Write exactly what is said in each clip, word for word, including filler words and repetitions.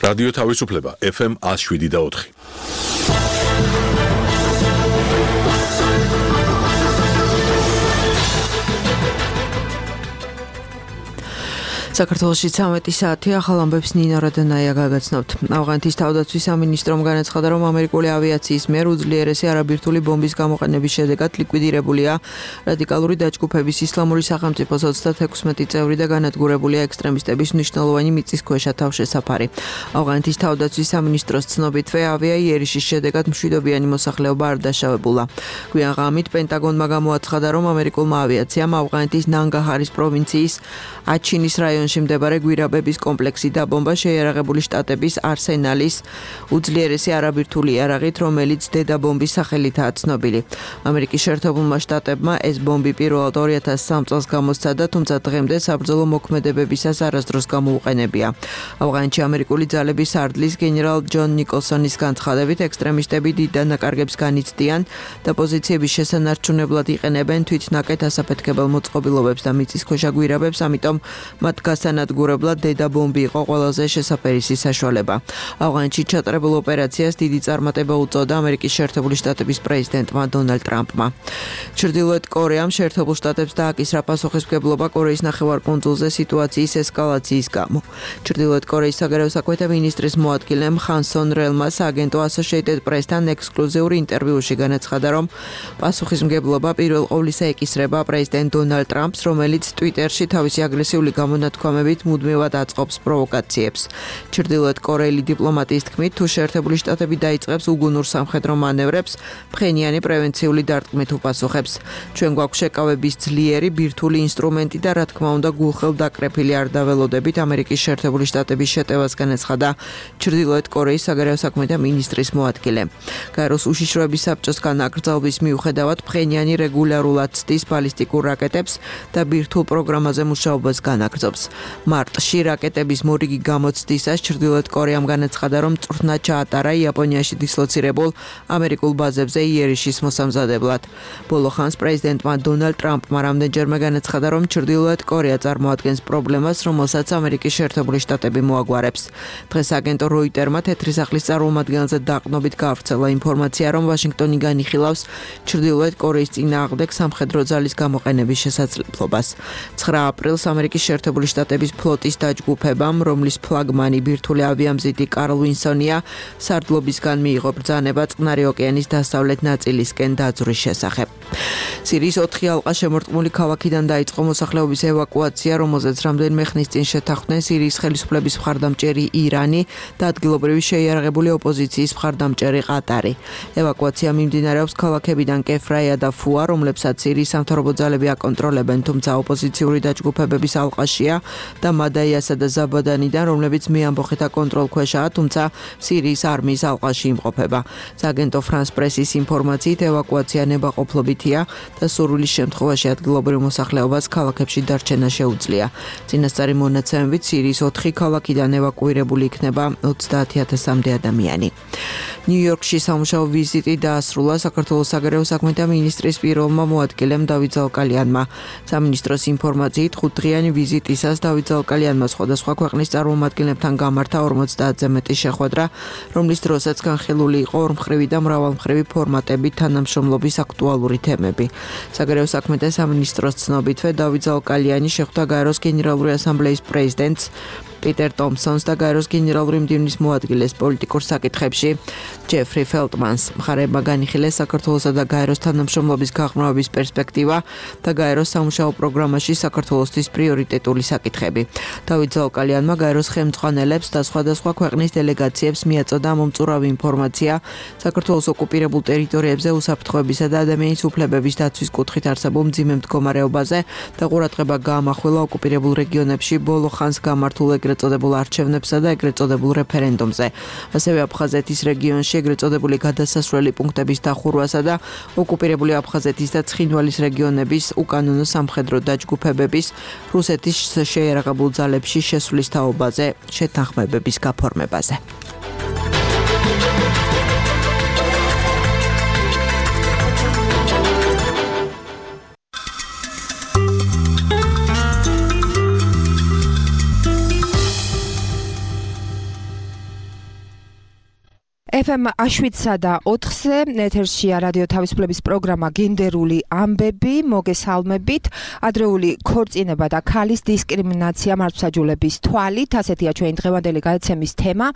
რადიო თავისუფლება ეფ ემ one oh seven და four. საქართველოში ცამეტი საათი ახალ ამბებს ნინო რადანაია გაგაცნობთ. ავღანეთის თავდაცვის სამინისტრომ განაცხადა, რომ ამერიკული ავიაციის მიერ უძლიერესი არაბირთული ბომბის გამოყენების შედეგად ლიკვიდირებულია რადიკალური დაჯგუფების ისლამური სახელმწიფოს ოცდათექვსმეტი წევრი და განადგურებულია ექსტრემისტების მნიშვნელოვანი მიწისქვეშა თავშესაფარი. ავღანეთის თავდაცვის სამინისტროს ცნობითვე ავია იერიშის შედეგად მშვიდობიანი მოსახლეობა არ დაშავებულა. გვიან ღამით პენტაგონმა გამოაცხადა, რომ ამერიკულმა ავიაციამ ავღანეთის ნანგაჰარის პროვინციის აჩინის რაიონში მდებარე გვირაბების კომპლექსი დაბომბა შეიარაღებული შტატების არსენალის უძლიერესი არაბირთული იარაღით, რომელიც დედაბომბის სახელითაა ცნობილი. ამერიკის შეერთებულმა შტატებმა ეს ბომბი პირველად ორი ათას სამი წელს გამოსცადა, თუმცა დღემდე საბრძოლო მოქმედებებისას არასდროს გამოუყენებია. ავღანეთში ამერიკული ძალების სარდლის გენერალ ჯონ ნიკოლსონის განცხადებით, ექსტრემისტები დიდ დანაკარგებს განიცდიან და პოზიციების შესანარჩუნებლად იყენებენ თვითნაკეთ ასაფეთქებელ მოწყობილობებს და მიწისქვეშა გვირაბებს, ამიტომ მათ გასანადგურებლად დედაბომბი იყო ყველაზე შესაფერისი საშუალება. ავღანეთში ჩატარებულ ოპერაციას დიდი წარმატება უწოდა ამერიკის შეერთებული შტატების პრეზიდენტმა დონალდ ტრამპმა. ჩრდილოეთ კორეამ შეერთებულ შტატებს დააკისრა პასუხისმგებლობა კორეის ნახევარკუნძულზე სიტუაციის ესკალაციის გამო. ჩრდილოეთ კორეის საგარეო საქმეთა მინისტრის მოადგილემ ხან სონ რელმა სააგენტო Associated Press-თან ექსკლუზიური ინტერვიუში განაცხადა, რომ პასუხისმგებლობა პირველ ყოვლისა ეკისრება პრეზიდენტ დონალდ ტრამპს, რომელიც ტვიტერში თავისი აგრესიული გამონათქვამებით მუდმივად აწყობს პროვოკაციებს. ჩრდილოეთ კორეელი დიპლომატიის თქმით, თუ შეერთებული შტატები დაიწყებს უგუნურ სამხედრო მანევრებს, ფხენიანი პრევენციული დარტყმით უპასუხებს. ჩვენ გვაქვს შეკავების ძლიერი ბირთვული ინსტრუმენტი და რა თქმა უნდა გულხელდაკრეფილი არ დაველოდებით ამერიკის შეერთებული შტატების შეტევას განაცხადა ჩრდილოეთ კორეის საგარეო საქმეთა მინისტრის მოადგილე. გაეროს უშიშროების საბჭოს განაკრძალვის მიუხედავად ფხენიანი რეგულარულად ცდის ბალისტიკურ რაკეტებს და ბირთვულ პროგრამაზე მუშაობას განაგრძობს. მარტში რაკეტების მორიგი გამოცდისას ჩრდილოეთ კორეამ განაცხადა, რომ წვრთნა ჩაატარა იაპონიაში დისლოცირებულ ამერიკულ ბაზებზე იერიშის მოსამზადებლად. ბოლო ხანს პრეზიდენტმა დონალდ ტრამპმა რამდენჯერმე განაცხადა, რომ ჩრდილოეთ კორეა წარმოადგენს პრობლემას, რომელსაც ამერიკის შეერთებული შტატები მოაგვარებს. დღეს აგენტო როიტერმა თეთრი სახლის წარმომადგენელზე დაყრდნობით გაავრცელა ინფორმაცია, რომ ვაშინგტონი განიხილავს ჩრდილოეთ კორეის წინააღმდეგ სამხედრო ძალის გამოყენების შესაძლებლობას. ცხრა აპრილს ამერიკის შეერთებული შტატების ფლოტის დაჯგუფებამ, რომლის ფლაგმანი ბირთვული ავიამზიდი კარლ ვინსონია, სარდლობისგან მიიღო ბრძანება წყნარი ოკეანის დასავლეთ ნაწილისკენ დაძვრის შესახებ. სირიის ოთხი ალყა შემორტყმული ქალაქიდან დაიწყო მოსახლეობის ევაკუაცია, რომელზეც რამდენიმე ხნის წინ შეთანხმდნენ სირიის ხელისუფლების მხარდამჭერი ირანი და ადგილობრივი შეიარაღებული ოპოზიციის მხარდამჭერი ყატარი. ევაკუაცია მიმდინარეობს ქალაქებიდან კეფრაია და ფუა, რომლებსაც სირიის სამთავრობო ძალები აკონტროლებენ, თუმცა ოპოზიციური დაჯგუფებების ალყაშია და მადაიასა და ზაბადანიდან, რომლებიც მეამბოხეთა კონტროლქვეშაა, თუმცა სირიის არმიის ალყაში იმყოფება. სააგენტო ფრანს პრესის ინფორმაციით, ევაკუაცია ნებაყოფლობითია და სურვილის შემთხვევაში ადგილობრივ მოსახლეობას ქალაქებში დარჩენა შეუძლია. წინასწარი მონაცემებით სირიის ოთხი ქალაქიდან ევაკუირებული იქნება ოცდაათი ათასამდე ადამიანი. ნიუ-იორკში სამუშაო ვიზიტი დაასრულა საქართველოს საგარეო საქმეთა მინისტრის პირველმა მოადგილემ დავით ზალკალიანმა. სამინისტროს ინფორმაციით, ხუთდღიანი ვიზიტისას დავით ზალკალიანმა სხვადასხვა ქვეყნის წარმომადგენლებთან გამართა ორმოცდაათზე მეტი შეხვედრა, რომლის დროსაც განხილული იყო ორმხრივი და მრავალმხრივი ფორმატებით თანამშრომლობის აქტუალური თემები. საგარეო საქმეთა სამინისტროს ცნობითვე დავით ზალკალიანი შეხვდა გაეროს გენერალური ასამბლეის პრეზიდენტს პიტერ ტომსონს და გაეროს გენერალური მდივნის მოადგილეს პოლიტიკურ საკითხებში ჯეფრი ფელტმანს. მხარეებმა განიხილეს საქართველოსა და გაეროს თანამშრომლობის გაღრმავების პერსპექტივა და გაეროს სამუშაო პროგრამაში საქართველოსთვის პრიორიტეტული საკითხები. დავით ზალკალიანმა გაეროს ხელმძღვანელებს და სხვადასხვა ქვეყნის დელეგაციებს მიაწოდა მომწურავი ინფორმაცია საქართველოს ოკუპირებულ ტერიტორიებზე უსაფრთხოებისა და ადამიანის უფლებების დაცვის კუთხით არსებულ მძიმე მდგომარეობაზე და ყურადღება გაამახვილა ოკუპირებულ რეგიონებში ბოლო ხანს გამართულ ეგრეთ წოდებულ არჩევნებსა და ეგრეთ წოდებულ რეფერენდუმზე. ასევე აფხაზეთის რეგიონში ეგრეთ წოდებული გადასასვლელი პუნქტების დახურვასა და ოკუპირებული აფხაზეთის და ცხინვალის რეგიონების უკანონო სამხედრო დაჯგუფებების რუსეთის შეიარაღებულ ძალებში შესვლის თაობაზე შეთანხმებების გაფორმებაზე. ეფ ემ შვიდსა და ოთხზე ეთერშია რადიო თავისუფლების პროგრამა გენდერული ამბები, მოგესალმებით. ადრეული ქორწინება და ქალის დისკრიმინაცია მართლმსაჯულების თვალით, ასეთია ჩვენი დღევანდელი გადაცემის თემა.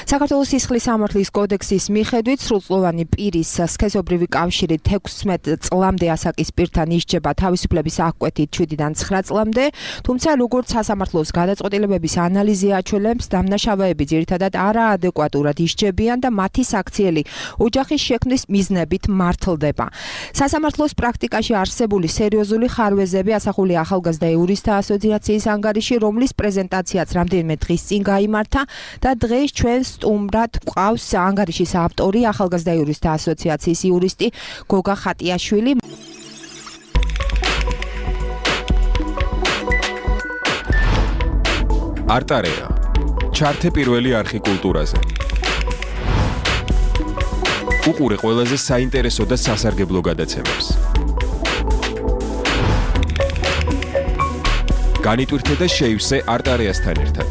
საქართველოს სისხლის სამართლის კოდექსის მიხედვით სრულწლოვანი პირის სქესობრივი კავშირი თექვსმეტ წლამდე ასაკის პირთან ისჯება თავისუფლების აღკვეთით შვიდიდან ცხრა წლამდე, თუმცა როგორც სასამართლოს გადაწყვეტილებების ანალიზი აჩვენებს, დამნაშავეები ძირითადად არაადეკვატურად ისჯებიან და მათი საქციელი ოჯახის შექმნის მიზნებით მართლდება. სასამართლოს პრაქტიკაში არსებული სერიოზული ხარვეზები ასახულია ახალგაზრდა იურისტთა ასოციაციის ანგარიში, რომლის პრეზენტაციაც რამდენიმე დღის წინ გაიმართა და დღეს ჩვენ სტუმრად გვყავს ანგარიშის ავტორი, ახალგაზრდა იურისტთა ასოციაციის იურისტი გოგა ხატიაშვილი. არტარეა. ჩართე პირველი არხი კულტურაზე. უყურე ყველაზე საინტერესო და სასარგებლო გადაცემებს. განიტვირთე და შეივსე არტარეასთან ერთად.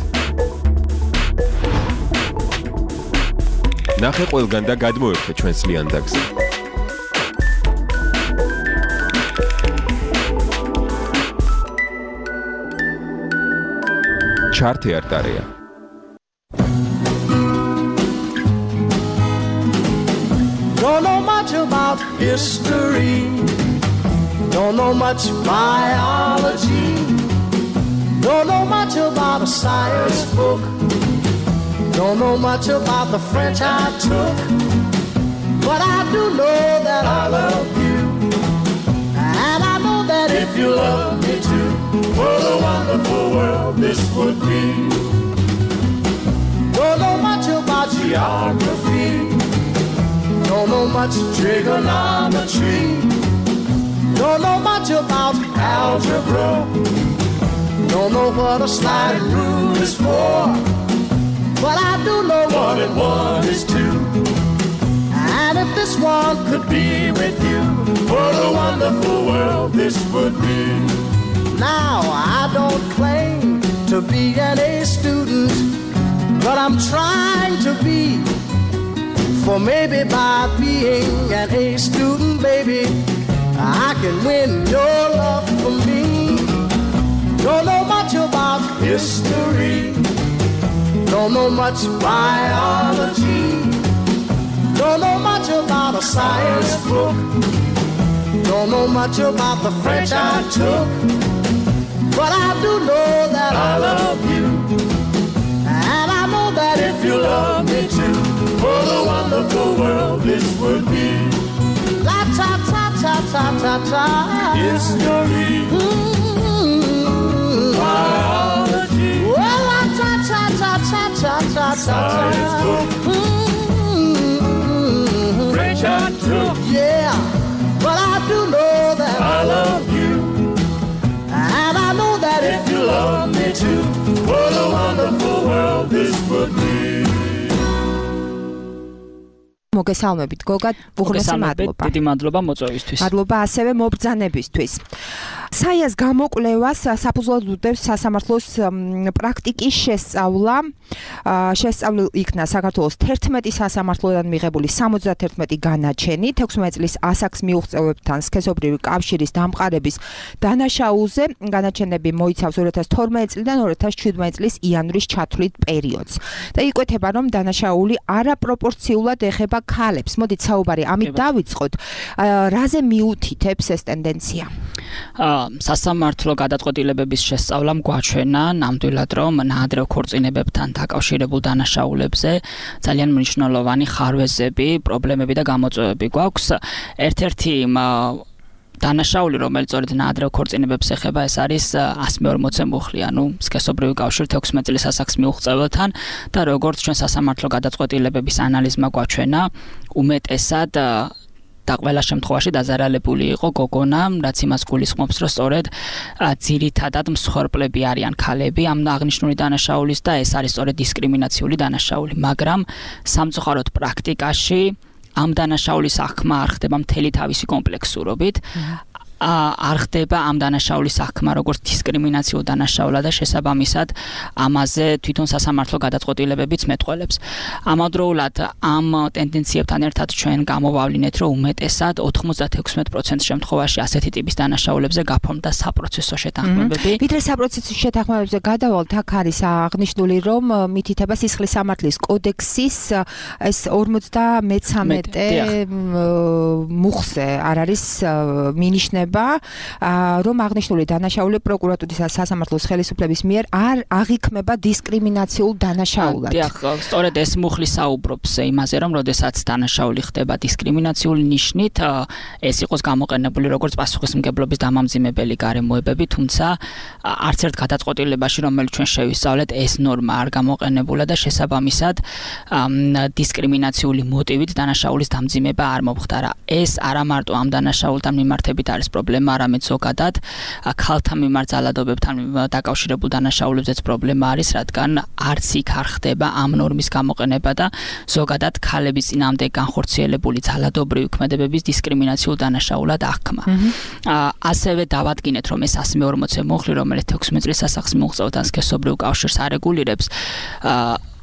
ნახე ყველგან და გადმოერთე ჩვენს ლიანდაგზე. ჩართე არტარეა. Don't know much about history, don't know much biology, don't know much about a science book, don't know much about the French I took, but I do know that I love you, and I know that if you love me too, what a wonderful world this would be. Don't know much about geography, don't know much trigonometry, don't know much about algebra, don't know what a sliding rule is for, but I do know one and one is two. And if this one could be with you, what a wonderful world this would be. Now I don't claim to be an A student, but I'm trying to be. For maybe by being an A student, baby, I can win your love for me. Don't know much about history, don't know much biology, don't know much about a science book, don't know much about the French I took, but I do know that I love you, and I know that if you love me too, what a wonderful world this would be. La ta ta ta ta ta ta. History. Mm-hmm. Biology. Well, la ta ta ta ta ta ta ta. Science book. Mm-hmm. French I took. Yeah, but I do know that I love you, and I know that if you love me too, what a wonderful world this would be. მოგესალმებით გოგა, უღრმესი მადლობა. დიდი მადლობა მოწვევისთვის. მადლობა ასევე მობრძანებისთვის. საიას გამოკვლევას საფუძვლად უდევს სასამართლოს პრაქტიკის შესწავლა. შესწავლილ იქნა საქართველოს თერთმეტი სასამართლოდან მიღებული სამოცდათერთმეტი განაჩენი, თექვსმეტ წლის ასაკს მიუღწევებთან სქესობრივი კავშირის დამყარების დანაშაულზე. განაჩენები მოიცავს ორი ათას თორმეტი წლიდან ორი ათას შვიდმეტი წლის იანვრის ჩათვლით პერიოდს. და იკვეთება, რომ დანაშაული არაპროპორციულად ეხება ქალებს. მოდით საუბარი ამით დავიწყოთ. რაზე მიუთითებს ეს ტენდენცია? სასამართლო გადაწყვეტილებების შესწავლამ გვაჩვენა ნამდვილად, რომ ნაადრევ ქორწინებებთან დაკავშირებულ დანაშაულებზე ძალიან მნიშვნელოვანი ხარვეზები, პრობლემები და გამოწვევები გვაქვს. ერთ-ერთი დანაშაული, რომელიც სწორედ ნაადრევ ქორწინებებს ეხება, ეს არის ასი მეორმოცე მუხლი, ანუ სქესობრივი კავშირი თექვსმეტ წლის ასაკს მიუღწეველთან და როგორც ჩვენ სასამართლო გადაწყვეტილებების ანალიზმა გვაჩვენა, უმეტესად და ყველა შემთხვევაში დაზარალებული იყო გოგონა, რაც იმას გულისხმობს, რომ სწორედ ძირითადად მსხვერპლები არიან ქალები ამ აღნიშნული დანაშაულის და ეს არის სწორედ დისკრიმინაციული დანაშაული, მაგრამ სამწუხაროდ პრაქტიკაში ამ დანაშაულის აღქმა არ ხდება მთელი თავისი კომპლექსურობით. არ ხდება ამ დანაშაულის საქმე როგორც დისკრიმინაციულ დანაშაულად და შესაბამისად ამაზე თვითონ სასამართლო გადაწყვეტილებებიც მეტყველებს. ამავდროულად ამ ტენდენციებთან ერთად ჩვენ გამოვავლინეთ, რომ უმეტესად ოთხმოცდაექვსმეტ პროცენტ შემთხვევაში ასეთი ტიპის დანაშაულებზე გაფორმდა საპროცესო შეთანხმებები. ვიდრე საპროცესო შეთანხმებებზე გადავალთ, აქ არის აღნიშნული, რომ მითითება სისხლის სამართლის კოდექსის ეს ორმოცდამეცამეტე მუხზე არ არის მინიშნება, რომ აღნიშნული დანაშაული პროკურატურის სასამართლოს ხელისუფლების მიერ არ აღიქმება დისკრიმინაციულ დანაშაულად. დიახ, სწორედ ეს მუხლი საუბრობს იმაზე, რომ როდესაც დანაშაული ხდება დისკრიმინაციული ნიშნით, ეს იყოს გამოყენებული როგორც პასუხისმგებლობის დამამძიმებელი გარემოებები, თუმცა არც ერთ გადაწყვეტილებაში, რომელიც ჩვენ შევისწავლეთ, ეს ნორმა არ გამოყენებულა და შესაბამისად დისკრიმინაციული მოტივით დანაშაულის დამძიმება არ მომხდარა. ეს არა მარტო ამ დანაშაულთან მიმართებით არის პრობლემა, არამედ ზოგადად ქალთა მიმართ ძალადობებთან დაკავშირებულ დანაშაულებზეც პრობლემა არის, რადგან არც იქ არ ხდება ამ ნორმის გამოყენება და ზოგადად ქალების წინააღმდეგ განხორციელებული ძალადობრივი ქმედებების დისკრიმინაციულ დანაშაულად აღქმა. ასევე დავადგინეთ, რომ ეს ას მეორმოცე მუხლი, რომელიც ექვსმეტ წლის ასახს მიუღწევდა სქესობრივ კავშირს არეგულირებს,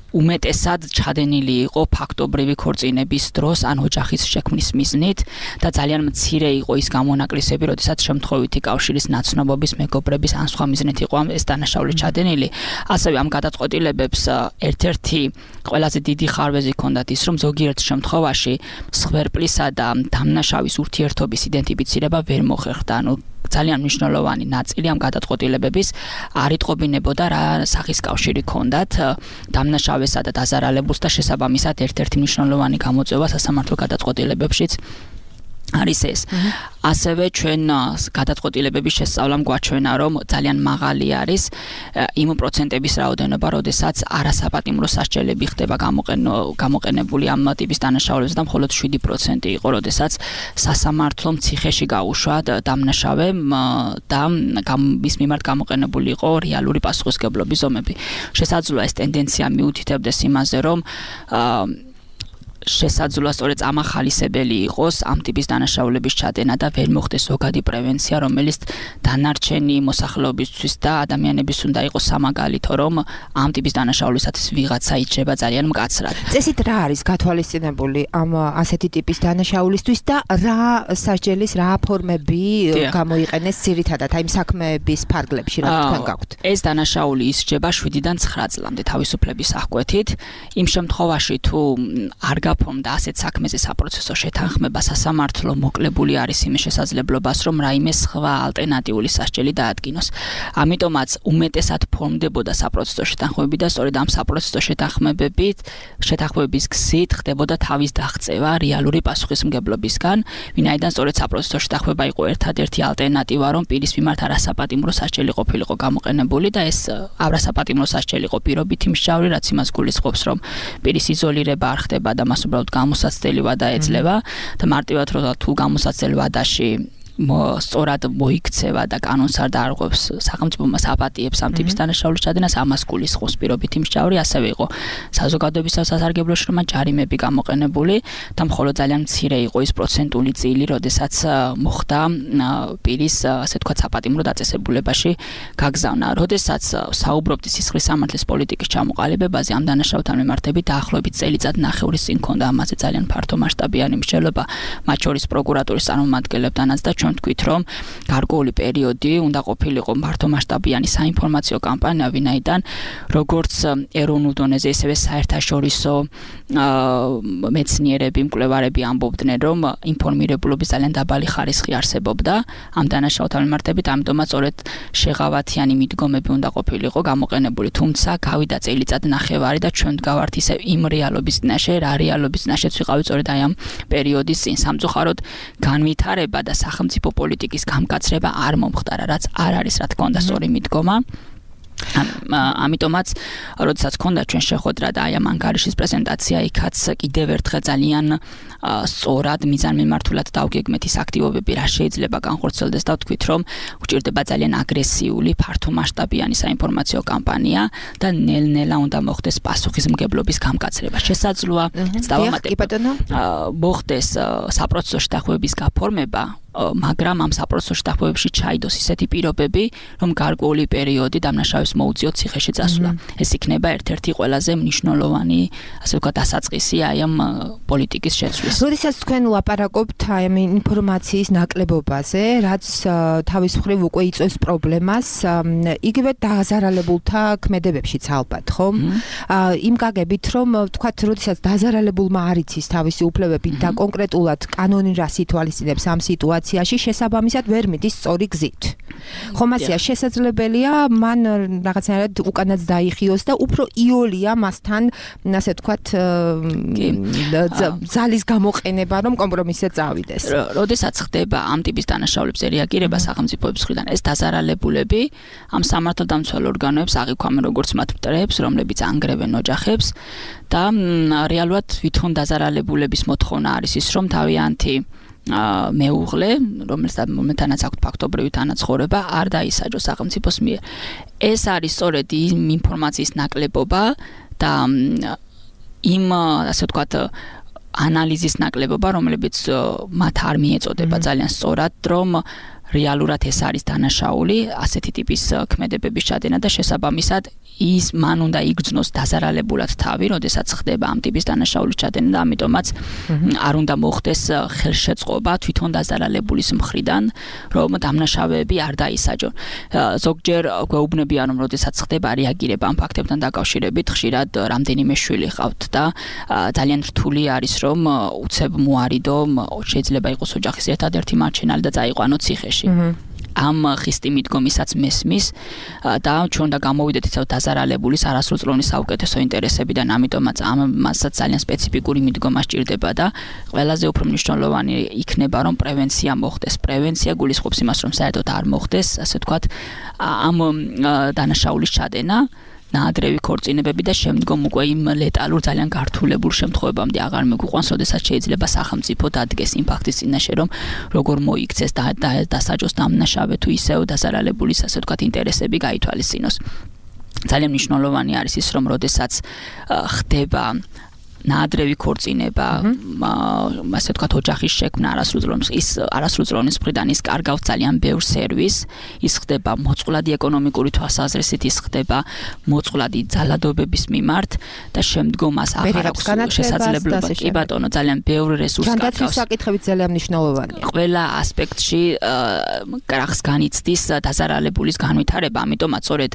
უმეტესად ჩადენილი იყო ფაქტობრივი ქორწინების დროს ან ოჯახის შექმნის მიზნით და ძალიან მცირე იყო ის გამონაკლისები, როდესაც შემთხვევითი კავშირის ნაცნობობის, მეგობრების ან სხვა მიზნით იყო ეს დანაშაული ჩადენილი. ასევე ამ გადაწყვეტილებებს ერთ-ერთი ყველაზე დიდი ხარვეზი ჰქონდათ ის, რომ ზოგიერთ შემთხვევაში მსხვერპლისა და დამნაშავის ურთიერთობის იდენტიფიცირება ვერ მოხერხდა. ანუ ძალიან მნიშვნელოვანი ნაწილი ამ გადაწყვეტილებების არ იტყობინებოდა რა სახის კავშირი ჰქონდათ დამნაშავესა და დაზარალებულს და შესაბამისად ერთ-ერთი მნიშვნელოვანი გამოწვევა სასამართლო გადაწყვეტილებებშიც არის ეს. ასევე ჩვენ გადაწყვეტილებების შესწავლამ გვაჩვენა, რომ ძალიან მაღალი არის იმ პროცენტების რაოდენობა, როდესაც არასაპატიმრო სასჯელები ხდება გამოყენებული ამ ტიპის დანაშაულებზე და მხოლოდ შვიდი პროცენტი იყო, როდესაც სასამართლომ ციხეში გაუშვა დამნაშავემ და მის მიმართ გამოყენებული იყო რეალური პასუხისმგებლობის ზომები. შესაძლოა ეს ტენდენცია მიუთითებდეს იმაზე, რომ შესაძლოა სწორედ წამახალისებელი იყოს ამ ტიპის დანაშაულების ჩადენა და ვერ მოხდეს ზოგადი პრევენცია, რომელიც დანარჩენი მოსახლეობისთვის და ადამიანების უნდა იყოს სამაგალითო, რომ ამ ტიპის დანაშაულისათვის ვიღაცა იჭრება ძალიან მკაცრად. წესით რა არის გათვალისწინებული ამ ასეთი ტიპის დანაშაულისთვის და რა სასჯელის რა ფორმები გამოიყენეს ძირითადად აი საქმეების ფარგლებში, რა თქვენ გაქვთ? ეს დანაშაული ისჯება შვიდიდან ცხრა წლამდე თავისუფლების აღკვეთით. იმ შემთხვევაში თუ არ გაფორმდა ასეთ საქმეზე საპროცესო შეთანხმება, სასამართლო მოკლებული არის იმის შესაძლებლობას, რომ რაიმე სხვა ალტერნატიული სასჯელი დაადგინოს. ამიტომაც უმეტესად ფორმდებოდა საპროცესო შეთანხმებები და სწორედ ამ საპროცესო შეთანხმებებით, შეთანხმების გზით ხდებოდა თავის აღწევა რეალური პასუხისმგებლობისგან, ვინაიდან სწორედ საპროცესო შეთანხმება იყო ერთადერთი ალტერნატივა, რომ პირის მიმართ არასაპატიმრო სასჯელი ყოფილიყო გამოყენებული და ეს არასაპატიმრო სასჯელი იყო პირობითი მსჯავრი, რაც იმას გულისხმობს, რომ პირის იზოლირება არ ხდება და მას უბრალოდ გამოსაცდელი ვადა ეძლევა და მარტივად რომ თუ გამოსაცდელ ვადაში სწორად მოიქცევა და კანონს არ დაარღვევს სახელმწიფოს აპატიებს ამ ტიპის დანაშაულის ჩადენას, ამას გულისხმობს პირობითი მსჯავრი, ასევე იყო საზოგადოების სასარგებლო შრომა, ჯარიმები გამოყენებული და მხოლოდ ძალიან მცირე იყო ის პროცენტული წილი, როდესაც მოხდა პირის ასე თქვა საპატიმრო დაწესებულებაში გაგზავნა. როდესაც საუბრობთ სისხლის სამართლის პოლიტიკის ჩამოყალიბებაზე, ამ დანაშაულთან მიმართებით დაახლოებით წელიწად ნახევრის წინ ჰქონდა ამაზე ძალიან ფართო მასშტაბიანი მსჯელობა, მათ შორის პროკურატურის წარმომადგენლებთანაც და თქვით, რომ გარკვეული პერიოდი უნდა ყოფილიყო მართომასშტაბიანი საინფორმაციო კამპანია, ვინაიდან როგორც ეროვნულ დონეზე, ისევე საერთაშორისო მეცნიერები, მკვლევარები ამბობდნენ, რომ ინფორმირებულობის ძალიან დაბალი ხარისხი არსებობდა ამ დანაშაულთან მიმართებით, ამიტომაც სწორედ შეღავათიანი მიდგომები უნდა ყოფილიყო გამოყენებული, თუმცა გავიდა წელიწად ნახევარი და ჩვენ გავართ ისე იმ რეალობის წინაშე, რა რეალობის წინაშეც ვიყავით სწორედ აი ამ პერიოდის წინ. სამწუხაროდ განვითარება და სახელმწიფო პოლიტიკის გამკაცრება არ მომხდარა, რაც არ არის რა თქმა უნდა სწორი მიდგომა. ამიტომაც როდესაც ქონდა ჩვენ შეხვედრა და აი ამ ანგარიშის პრეზენტაცია იქაც კიდევ ერთხელ ძალიან სწორად მიზანმიმართულად დავგეგმეთ ის აქტივობები რა შეიძლება განხორციელდეს და ვთქვით რომ უჭირდება ძალიან აგრესიული ფართომასშტაბიანი საინფორმაციო კამპანია და ნელ-ნელა უნდა მოხდეს პასუხისმგებლობის გამკაცრება შესაძლოა დავამატებ მოხდეს საპროცესო შეთანხმების გაფორმება მაგრამ ამ საპროცესო შეთანხმებებში ჩაიდოს ისეთი პირობები რომ გარკვეული პერიოდი დამნაშავის მოუწიოთ ციხეში წასვლა ეს იქნება ერთ-ერთი ყველაზე მნიშვნელოვანი ასე ვთქვათ დასაწყისი აი ამ პოლიტიკის შეცვლის. როდესაც თქვენ ლაპარაკობთ აი ამ ინფორმაციის ნაკლებობაზე, რაც თავის მხრივ უკვე იწვევს პრობლემას, იგივე დაზარალებულთა ქმედებებშიც ალბათ, ხო? იმ გაგებით რომ ვთქვათ, როდესაც დაზარალებულმა არ იცის თავისი უფლებები და კონკრეტულად კანონი რას ითვალისწინებს ამ სიტუაციაში, შესაბამისად ვერ მიდის სწორი გზით. ხომ ასეა შესაძლებელია მან რაღაცნაირად უკანაც დაიხიოს და უფრო იოლია მასთან, ასე ვთქვათ, ძალის გამოყენება, რომ კომპრომისზე წავიდეს. როდესაც ხდება ამ ტიპის დანაშაულებზე რეაგირება სახელმწიფოების მხრიდან, ეს დაზარალებულები ამ სამართალდამცავ ორგანოებს აღიქვამენ როგორც მათ მტრებს, რომლებიც ანგრევენ ოჯახებს და რეალურად თვითონ დაზარალებულების მოთხოვნა არის ის, რომ თავიანთი მეუღლე, რომელთანაც აქვთ ფაქტობრივი თანაცხოვრება, არ დაისაჯოს სახელმწიფოს მიერ. ეს არის სწორედ იმ ინფორმაციის ნაკლებობა და იმ ასე ვთქვათ ანალიზის ნაკლებობა, რომლებიც მათ არ მიეწოდება ძალიან სწორად, რომ რეალურად ეს არის დანაშაული, ასეთი ტიპის ქმედებების ჩადენა და შესაბამისად ის მან უნდა იგრძნოს დაზარალებულად თავი, როდესაც ხდება ამ ტიპის დანაშაულის ჩადენა და ამიტომაც არ უნდა მოხდეს ხელშეწყობა თვითონ დაზარალებულის მხრიდან, რომ დამნაშავეები არ დაისაჯონ. ზოგჯერ გვეუბნებიან, რომ როდესაც ხდება რეაგირება ამ ფაქტებთან დაკავშირებით, ხშირად რამდენიმე შვილი ყავთ და ძალიან რთული არის, რომ უცებ მოარიდო, შეიძლება იყოს ოჯახის ერთადერთი მარჩენალი და წაიყვანო ციხეში. ამ ხისტი მიდგომისაც მესმის და ჩვენ უნდა გამოვიდეთ ისევ დაზარალებულის არასრულწლოვანი საუკეთესო ინტერესებიდან, ამიტომაც ამასაც ძალიან სპეციფიკური მიდგომა სჭირდება და ყველაზე უფრო მნიშვნელოვანი იქნება, რომ პრევენცია მოხდეს. პრევენცია გულისხმობს იმას, რომ საერთოდ არ მოხდეს, ასე ვთქვათ, ამ დანაშაულის ჩადენა. ნაადრევი ქორწინებები და შემდგომ უკვე იმ ლეტალურ ძალიან გართულებულ შემთხვევებამდე აღარ მიგვიყვანს, როდესაც შეიძლება სახელმწიფო დადგეს იმ ფაქტის წინაშე, რომ როგორ მოიქცეს და დასაჯოს დამნაშავე თუ ისევ დაზარალებულის ასე ვთქვათ ინტერესები გაითვალისწინოს. ძალიან მნიშვნელოვანი არის ის, რომ როდესაც ხდება ნაადრევი ქორწინება, ასე ვთქვათ, ოჯახის შექმნა არასრულწლოვნის ის არასრულწლოვნის მხრიდან ის კარგავს ძალიან ბევრ სერვისს, ის ხდება მოწყვლადი ეკონომიკური თვალსაზრისით, ის ხდება მოწყვლადი ძალადობების მიმართ და შემდგომ მას აღარ აქვს შესაძლებლობა, კი ბატონო, ძალიან ბევრ რესურსს კარგავს. ჯანდაცვის საკითხებიც ძალიან მნიშვნელოვანია. ყველა ასპექტში კრახს განიცდის დაზარალებულის განვითარება, ამიტომაც სწორედ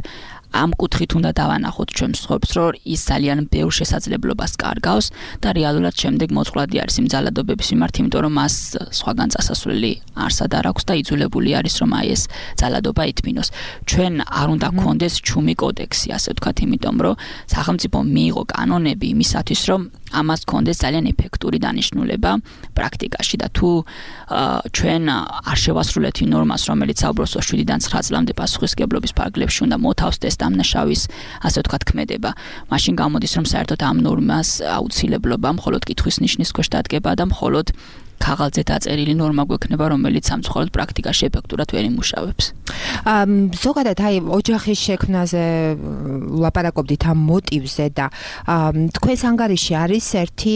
ამ კუთხით უნდა დავანახოთ ჩვენ მსხვერპლს, რომ ის ძალიან ბევრ შესაძლებლობას კარგავს და რეალურად შემდეგ მოწყვლადი არის იმ ძალადობების მიმართ, იმიტომ რომ მას სხვაგან წასასვლელი არსად არ აქვს და იძულებული არის რომ აი ეს ძალადობა ითმინოს. ჩვენ არ უნდა გქონდეს ჩუმი კოდექსი, ასე ვთქვათ, იმიტომ რომ სახელმწიფო მიიღო კანონები იმისათვის, რომ ამას გქონდეს ძალიან ეფექტური დანიშნულება პრაქტიკაში და თუ ჩვენ არ შევასრულეთ იმ ნორმას, რომელიც საუბრობს შვიდიდან ცხრა წლამდე პასუხისმგებლობის ფარგლებში უნდა მოთავსდეს დამნაშავის, ასე ვთქვათ, ქმედება. მაშინ გამოდის, რომ საერთოდ ამ ნორმას აუცილებლობა მხოლოდ კითხვის ნიშნის ქვეშ დადგება და მხოლოდ ქაღალდზე დაწერილი ნორმა გვექნება, რომელიც სამწუხაროდ პრაქტიკაში ეფექტურად ვერ იმუშავებს. ზოგადად აი ოჯახის შექმნაზე ლაპარაკობდით ამ მოტივზე და თქვენს ანგარიშში არის ერთი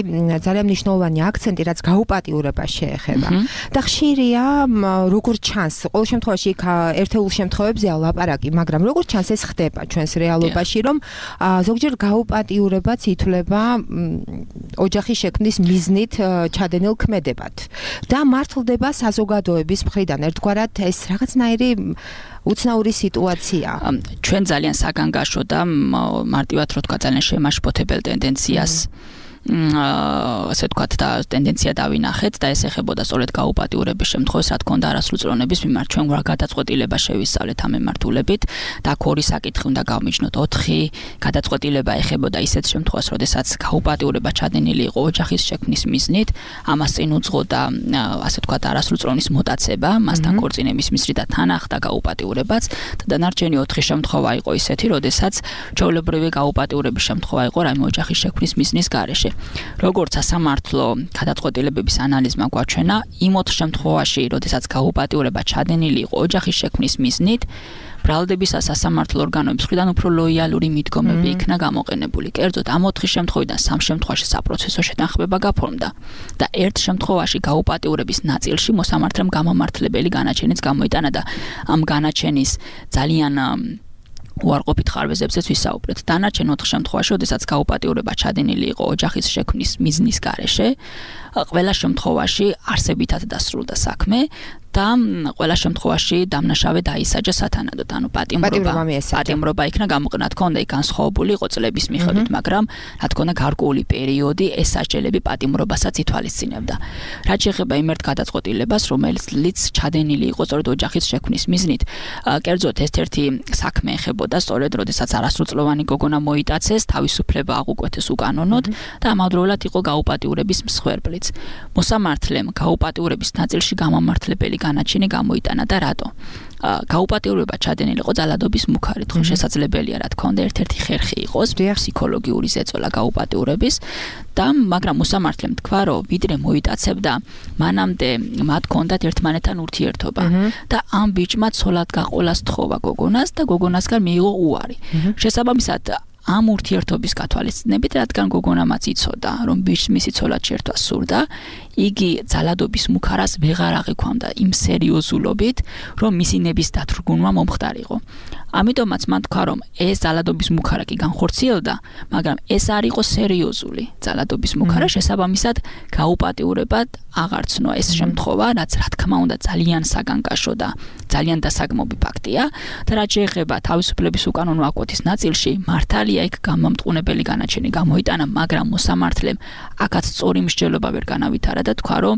ძალიან მნიშვნელოვანი აქცენტი, რაც გაუპატიურებას შეეხება. და ხშირია როგორ ჩანს, ყოველ შემთხვევაში ერთეულ შემთხვევებზეა ლაპარაკი, მაგრამ როგორ ჩანს ეს ხდება ჩვენს რეალობაში, რომ ზოგჯერ გაუპატიურებაც ითვლება ოჯახის შექმნის მიზნით ჩადენილ ქმედებად. და მართლდება საზოგადოების მხრიდან ერთგვარად ეს რაღაცნაირი უცნაური სიტუაცია. ჩვენ ძალიან საგანგაშო და მარტივად რო თქვა ძალიან შემაშფოთებელ ტენდენციას ასე ვთქვათ და ტენდენცია დავინახეთ და ეს ეხებოდა სწორედ გაუპატიურების შემთხვევას, რა თქმა უნდა, არასრულწლოვნების მიმართ ჩვენ რა გადაწყვეტილება შევისწავლეთ ამ მემართულებით და აქ ორი საკითხი უნდა გავმიჯნოთ. ოთხი გადაწყვეტილება ეხებოდა ისეთ შემთხვევას, როდესაც გაუპატიურება ჩადენილი იყო ოჯახის შექმნის მიზნით, ამას წინ უძღოდა ასე ვთქვათ არასრულწლოვნის მოტაცება, მასთან ქორწინების მიზნით და თან ახდა გაუპატიურებაც და დანარჩენი ოთხი შემთხვევა იყო ისეთი, როდესაც ჩვეულებრივი გაუპატიურების შემთხვევა იყო რაიმე ოჯახის შექმნის მიზნის გარეშე. როგორც სასამართლო გადაწყვეტილებების ანალიზმა გვაჩვენა, იმ ოთხ შემთხვევაში, როდესაც გაუპატიურება ჩადენილი იყო ოჯახის შექმნის მიზნით, ბრალდების სასამართლო ორგანოების მხრიდან უფრო ლოიალური მიდგომები იქნა გამოყენებული. კერძოდ, ამ ოთხი შემთხვევიდან სამ შემთხვევაში საპროცესო შეთანხმება გაფორმდა და ერთ შემთხვევაში გაუპატიურების ნაწილში მოსამართლემ გამამართლებელი განაჩენიც გამოიტანა და ამ განაჩენის ძალიან უარყოფით ხარვეზებზეც ვისაუბრეთ. დანარჩენ ოთხ შემთხვევაში, როდესაც გაუპატიურება ჩადენილი იყო ოჯახის შექმნის მიზნის გარეშე, ყველა შემთხვევაში არსებითად დასრულდა საქმე და ყველა შემთხვევაში დამნაშავე დაისაჯა სათანადოდ, ანუ პატიმრობა პატიმრობა იქნა გამოყენა, თქო უნდა იქ განსხვავებული იყო წლების მიხედვით, მაგრამ რა თქმა უნდა გარკვეული პერიოდი ეს სასჯელები პატიმრობასაც ითვალისწინებდა. რაც შეეხება იმ ერთ გადაწყვეტილებას, რომელიც ჩადენილი იყო სწორედ ოჯახის შექმნის მიზნით, კერძოდ ერთ-ერთი საქმე ეხებოდა სწორედ როდესაც არასრულწლოვანი გოგონა მოიტაცეს, თავისუფლება აღუკვეთეს უკანონოდ და ამავდროულად იყო გაუპატიურების მსხვერპლიც. მოსამართლემ გაუპატიურების ნაწილში გამამართლებელი განაჩენი გამოიტანა და რატო? გაუპატიურება ჩადენილი იყო ძალადობის მუქარით, ხო შესაძლებელია რა თქმა უნდა ერთ-ერთი ხერხი იყოს ფსიქოლოგიური ზეწოლა გაუპატიურების და მაგრამ მოსამართლემ თქვა, რომ ვიდრე მოიტაცებდა, მანამდე მათ ჰქონდათ ერთმანეთთან ურთიერთობა და ამ ბიჭმა ცოლად გაყოლა სთხოვა გოგონას და გოგონასგან მიიღო უარი. შესაბამისად ამ ურთიერთობის გათვალისწინებით, რადგან გოგონამაც იცოდა, რომ ბიჭს მისი ცოლად შეერთვა სურდა, იგი ძალადობის მუქარას ვეღარ აღიქვამდა იმ სერიოზულობით, რომ მისი ნების დათრგუნვა მომხდარიყო. ამიტომაც მან თქვა, რომ ეს ძალადობის მუქარა კი განხორციელდა, მაგრამ ეს არ იყო სერიოზული ძალადობის მუქარა, შესაბამისად გაუპატიურებად აღარ ცნო ეს შემთხვევა, რაც რა თქმა უნდა ძალიან საგანგაშო და ძალიან დასაგმობი ფაქტია და რაც შეეხება თავისუფლების უკანონო აკვეთის ნაწილში, მართალია იქ გამამტყუნებელი განაჩენი გამოიტანა, მაგრამ მოსამართლემ აქაც სწორი მსჯელობა ვერ განავითარა და თქვა, რომ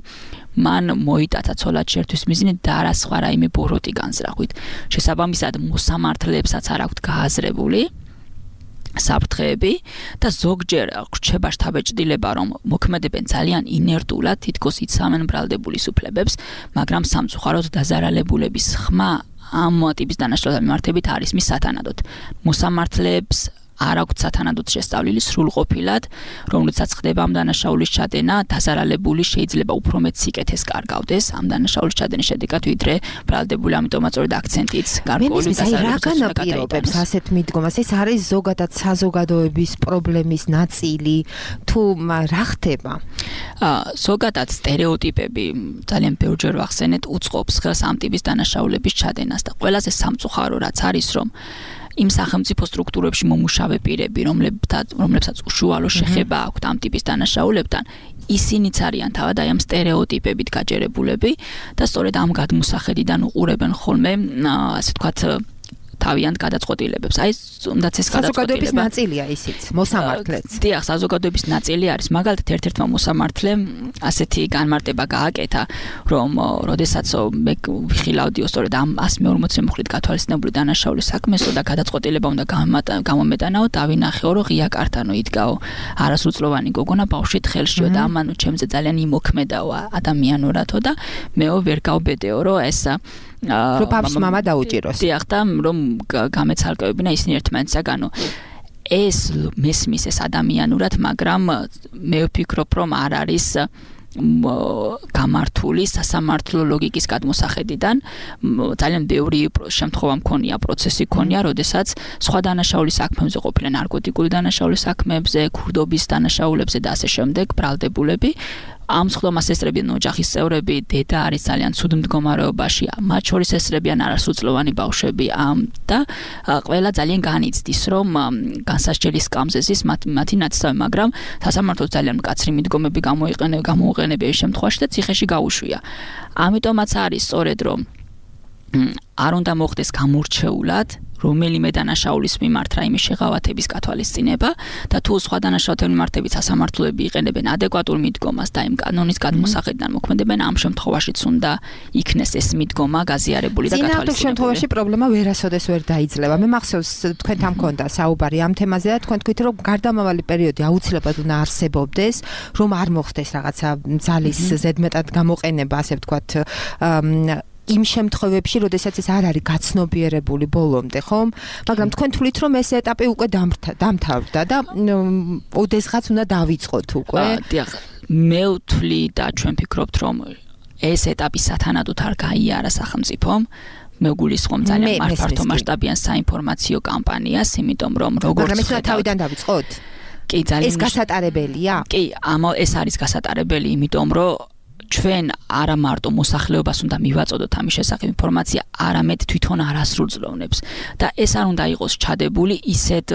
მან მოიტაცა ცოლად შეერთვის მიზნით და არა სხვა რაიმე ბოროტი განზრახვით. შესაბამისად მოსამართლებსაც არ აქვთ გააზრებული საფრთხეები და ზოგჯერ რჩება შთაბეჭდილება, რომ მოქმედებენ ძალიან ინერტულად, თითქოს იცავენ ბრალდებულის უფლებებს, მაგრამ სამწუხაროდ დაზარალებულების ხმა ამ ტიპის დანაშაულებების მიმართებით არის მის სათანადოდ. მოსამართლეებს არ აქვთ სათანადოდ შესწავლილი სრულყოფილად, რომლითაც ხდება ამ დანაშაულის ჩადენა, დაზარალებული შეიძლება უფრო მეტ სიკეთეს კარგავდეს ამ დანაშაულის ჩადენის შედეგად, ვიდრე ბრალდებული, ამიტომაც სწორედ აქცენტიც გარკვეული დასარალებლობისგან განაპირობებს ასეთ მიდგომას. ეს არის ზოგადად საზოგადოების პრობლემის ნაწილი, თუ რა ხდება? ზოგადად სტერეოტიპები ძალიან ბევრჯერ ვახსენეთ, უწყობს ხელს ამ ტიპის დანაშაულების ჩადენას და ყველაზე სამწუხარო რაც არის, რომ იმ სახელმწიფო სტრუქტურებში მომუშავე პირები, რომლებსაც უშუალო შეხება აქვთ ამ ტიპის დანაშაულებთან, ისინიც არიან თავად აი ამ სტერეოტიპებით გაჯერებულები და სწორედ ამ გადმოსახედიდან უყურებენ ხოლმე, ასე ვთქვათ, თავიანთ გადაწყვეტილებებს. აი, უნდაც ეს გადაწყვეტილება საზოგადოების ნაწილია ისიც, მოსამართლეც. დიახ, საზოგადოების ნაწილი არის. მაგალითად, ერთ-ერთმა მოსამართლემ ასეთი განმარტება გააკეთა, რომ როდესაც მე ვიხილავდიო სწორედ ამ ას მეორმოცე მუხლით გათვალისწინებული დანაშაულის საქმესო და გადაწყვეტილება უნდა გამომეტანაო, დავინახეო, რომ ღია კარტანო იდგაო არასრულწლოვანი გოგონა ბავშვით ხელშიო და ამანუ ჩემზე ძალიან იმოქმედაო ადამიანურათო და მეო ვერ გავბედეო, რომ ეს რომ ბავშვს მამა დაუჭიროს. დიახ, და რომ გამეცალკევებინა ისინი ერთმანეთსაგანო. ეს მესმის ეს ადამიანურად, მაგრამ მე ვფიქრობ, რომ არ არის გამართული სასამართლო ლოგიკის გადმოსახედიდან. ძალიან ბევრი შემთხვევა მქონია, პროცესი მქონია, როდესაც სხვა დანაშაულის საქმეებზე ყოფილენ ნარკოტიკული დანაშაულის საქმეებზე, ქურდობის დანაშაულებზე და ასე შემდეგ, ბრალდებულები. ამ სხდომას ესწრებიან ოჯახის წევრები, დედა არის ძალიან ცუდ მდგომარეობაში, მათ შორის ესწრებიან არასრულწლოვანი ბავშვები და ყველა ძალიან განიცდის, რომ განსასჯელის სკამზე ზის მათი ნაცსავი, მაგრამ სასამართლოს ძალიან მკაცრი მიდგომები გამოუყენებია ეს შემთხვევაში და ციხეში გაუშვია. ამიტომაც არის სწორედ, რომ არ უნდა მოხდეს გამორჩეულად, რომელიმე დანაშაულის მიმართ რაიმე შეღავათების გათვალისწინება და თუ სხვა დანაშაულების მიმართებით სასამართლოები იყენებენ ადეკვატურ მიდგომას და იმ კანონის გადმოსახედიდან მოქმედებენ, ამ შემთხვევაშიც უნდა იქნეს ეს მიდგომა გაზიარებული და გათვალისწინებული. წინააღმდეგ შემთხვევაში პრობლემა ვერასოდეს ვერ დაიძლება. მე მახსოვს თქვენთან მქონდა საუბარი ამ თემაზე და თქვენ თქვით რომ გარდამავალი პერიოდი აუცილებლად უნდა არსებობდეს, რომ არ მოხდეს რაღაცა ძალის ზედმეტად გამოყენება, ასე ვთქვათ, იმ შემთხვევებში, როდესაც ეს არ არის გაცნობიერებული ბოლომდე, ხომ? მაგრამ თქვენ თვლით, რომ ეს ეტაპი უკვე დამთავრდა და ოდესღაც უნდა დავიწყოთ უკვე. დიახ, მე ვთვლი და ჩვენ ვფიქრობთ, რომ ეს ეტაპი სათანადოდ არ გაიარა სახელმწიფომ. მე გულისხმობ ძალიან მართო მასშტაბიან საინფორმაციო კამპანიას, იმიტომ რომ როგორც მაგრამ ეს თავიდან დავიწყოთ. კი, ძალიან ეს გასატარებელია? კი, ამა ეს არის გასატარებელი, იმიტომ რომ ჩვენ არა მარტო მოსახლეობას უნდა მივაწოდოთ ამის შესახებ ინფორმაცია, არამედ თვითონ არასრულწლოვნებს და ეს არ უნდა იყოს ჩადებული ისეთ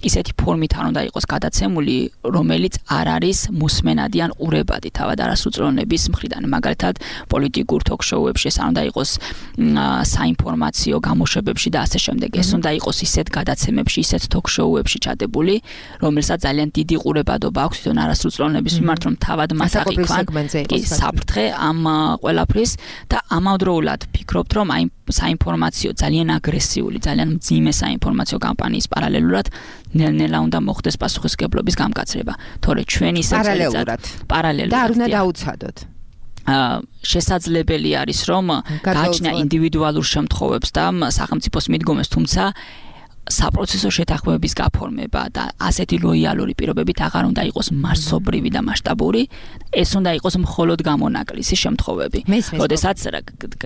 ისეთი ფორმით არ უნდა იყოს გადაცემული, რომელიც არ არის მოსმენადი ან ყურებადი თავად არასრულწლოვნების მხრიდან. მაგალითად, პოლიტიკურ ток-შოუებში ეს არ უნდა იყოს საინფორმაციო გამოშვებებში და ასე შემდეგ. ეს უნდა იყოს ისეთ გადაცემებში, ისეთ ток-შოუებში ჩადებული, რომელსაც ძალიან დიდი ყურებადობა აქვს თვითონ არასრულწლოვნების მიმართ, რომ თავად მას აღიქვან. საფრთხე ამ ყველაფრის და ამავდროულად ფიქრობთ, რომ აი საინფორმაციო ძალიან აგრესიული, ძალიან მძიმე საინფორმაციო კამპანიის პარალელურად ნელ-ნელა უნდა მოხდეს პასუხისმგებლობის გამკაცრება. თორე ჩვენ ისე პარალელურად პარალელურად და არ უნდა დაუცადოთ. შესაძლებელი არის, რომ გააჩნია ინდივიდუალურ შემთხვევებს და სახელმწიფოს მიდგომებს, თუმცა საპროცესო შეთანხმებების გაფორმება და ასეთი ლოიალური პირობებით აღარ უნდა იყოს მასობრივი და მასშტაბური, ეს უნდა იყოს მხოლოდ გამონაკლისი შემთხვევები. როდესაც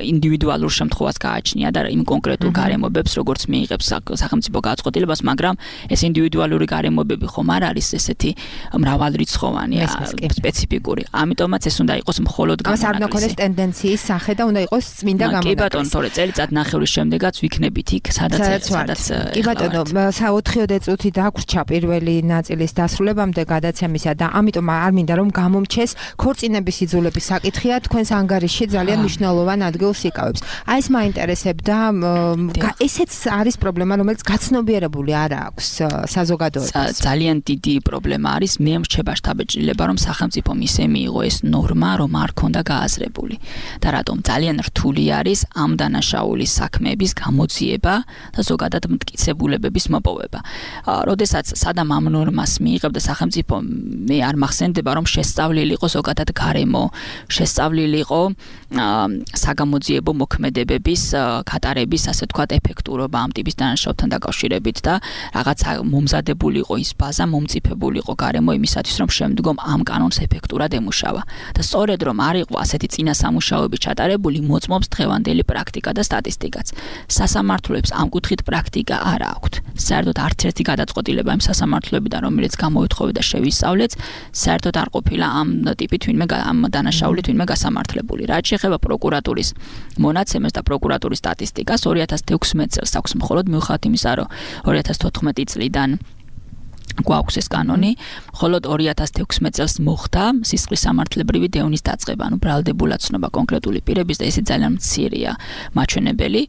ინდივიდუალურ შემთხვევას გააჩნია და იმ კონკრეტულ გარემოებებს, როგორც მიიღებს სახელმწიფო გადაწყვეტილებას, მაგრამ ეს ინდივიდუალური გარემოებები ხომ არ არის ესეთი მრავალრიცხოვანი, სპეციფიკური. ამიტომაც ეს უნდა იყოს მხოლოდ გამონაკლისი. ამას არ უნდა ქონდეს ტენდენციის სახე და უნდა იყოს წმინდა გამონაკლისი. კი ბატონო, თორე წელიწად ნახევრის შემდეგაც ვიქნებით იქ, სადაც სადაც ბატონო, ოთხიოდე წუთი დაგვრჩა პირველი ნაწილის დასრულებამდე გადაცემისა და ამიტომ არ მინდა რომ გამომჩეს ქორწინების იძულების საკითხია თქვენს ანგარიში ძალიან მნიშვნელოვან ადგილს იკავებს. აი ეს მაინტერესებდა, ესეც არის პრობლემა, რომელიც გაცნობიერებული არ აქვს საზოგადოებას. ძალიან დიდი პრობლემა არის, მე მრჩება შთაბეჭდილება, რომ სახელმწიფომ ისე მიიღო ეს ნორმა, რომ არ ქონდა გააზრებული. და რატომ ძალიან რთული არის ამ დანაშაულის საქმეების გამოძიება და ზოგადად მტკიცება ებების მოპოვება. როდესაც სადამ ამ ნორმას მიიღებდა სახელმწიფო, მე არ მახსენდება, რომ შესწავლილი იყო ზოგადად გარემო, შესწავლილი იყო საგამოძიებო მოქმედებების კატარების, ასე ვთქვათ, ეფექტურობა ამ ტიპის დანაშაულთან დაკავშირებით და რაღაც მომზადებული იყო ის ბაზა, მომწიფებული იყო გარემო იმისათვის, რომ შემდგომ ამ კანონს ეფექტურად ემუშავა. და სწორედ რომ არ იყო ასეთი წინა სამუშაოები ჩატარებული, მოწმობს დღევანდელი პრაქტიკა და სტატისტიკაც. სასამართლოებს ამ კუთხით პრაქტიკა არ აქვთ. საერთოდ არც ერთი გადაწყვეტილება იმ სასამართლოებიდან, რომელიც გამოითხოვე და შევისწავლეთ, საერთოდ არ ყოფილა ამ ტიპით ვინმე ამ დანაშაულით ვინმე გასამართლებული. რაც შეეხება პროკურატურის მონაცემებს და პროკურატურის სტატისტიკას, ორი ათას თექვსმეტ წელს აქვს მხოლოდ მიუხედავად იმისა, რომ ორი ათას თოთხმეტი წლიდან გვაქვს ეს კანონი, მხოლოდ ორი ათას თექვსმეტ წელს მოხდა სისხლის სამართლებრივი დევნის დაწყება, ანუ ბრალდებულად ცნობა კონკრეტული პირების და ესე ძალიან მცირეა მაჩვენებელი.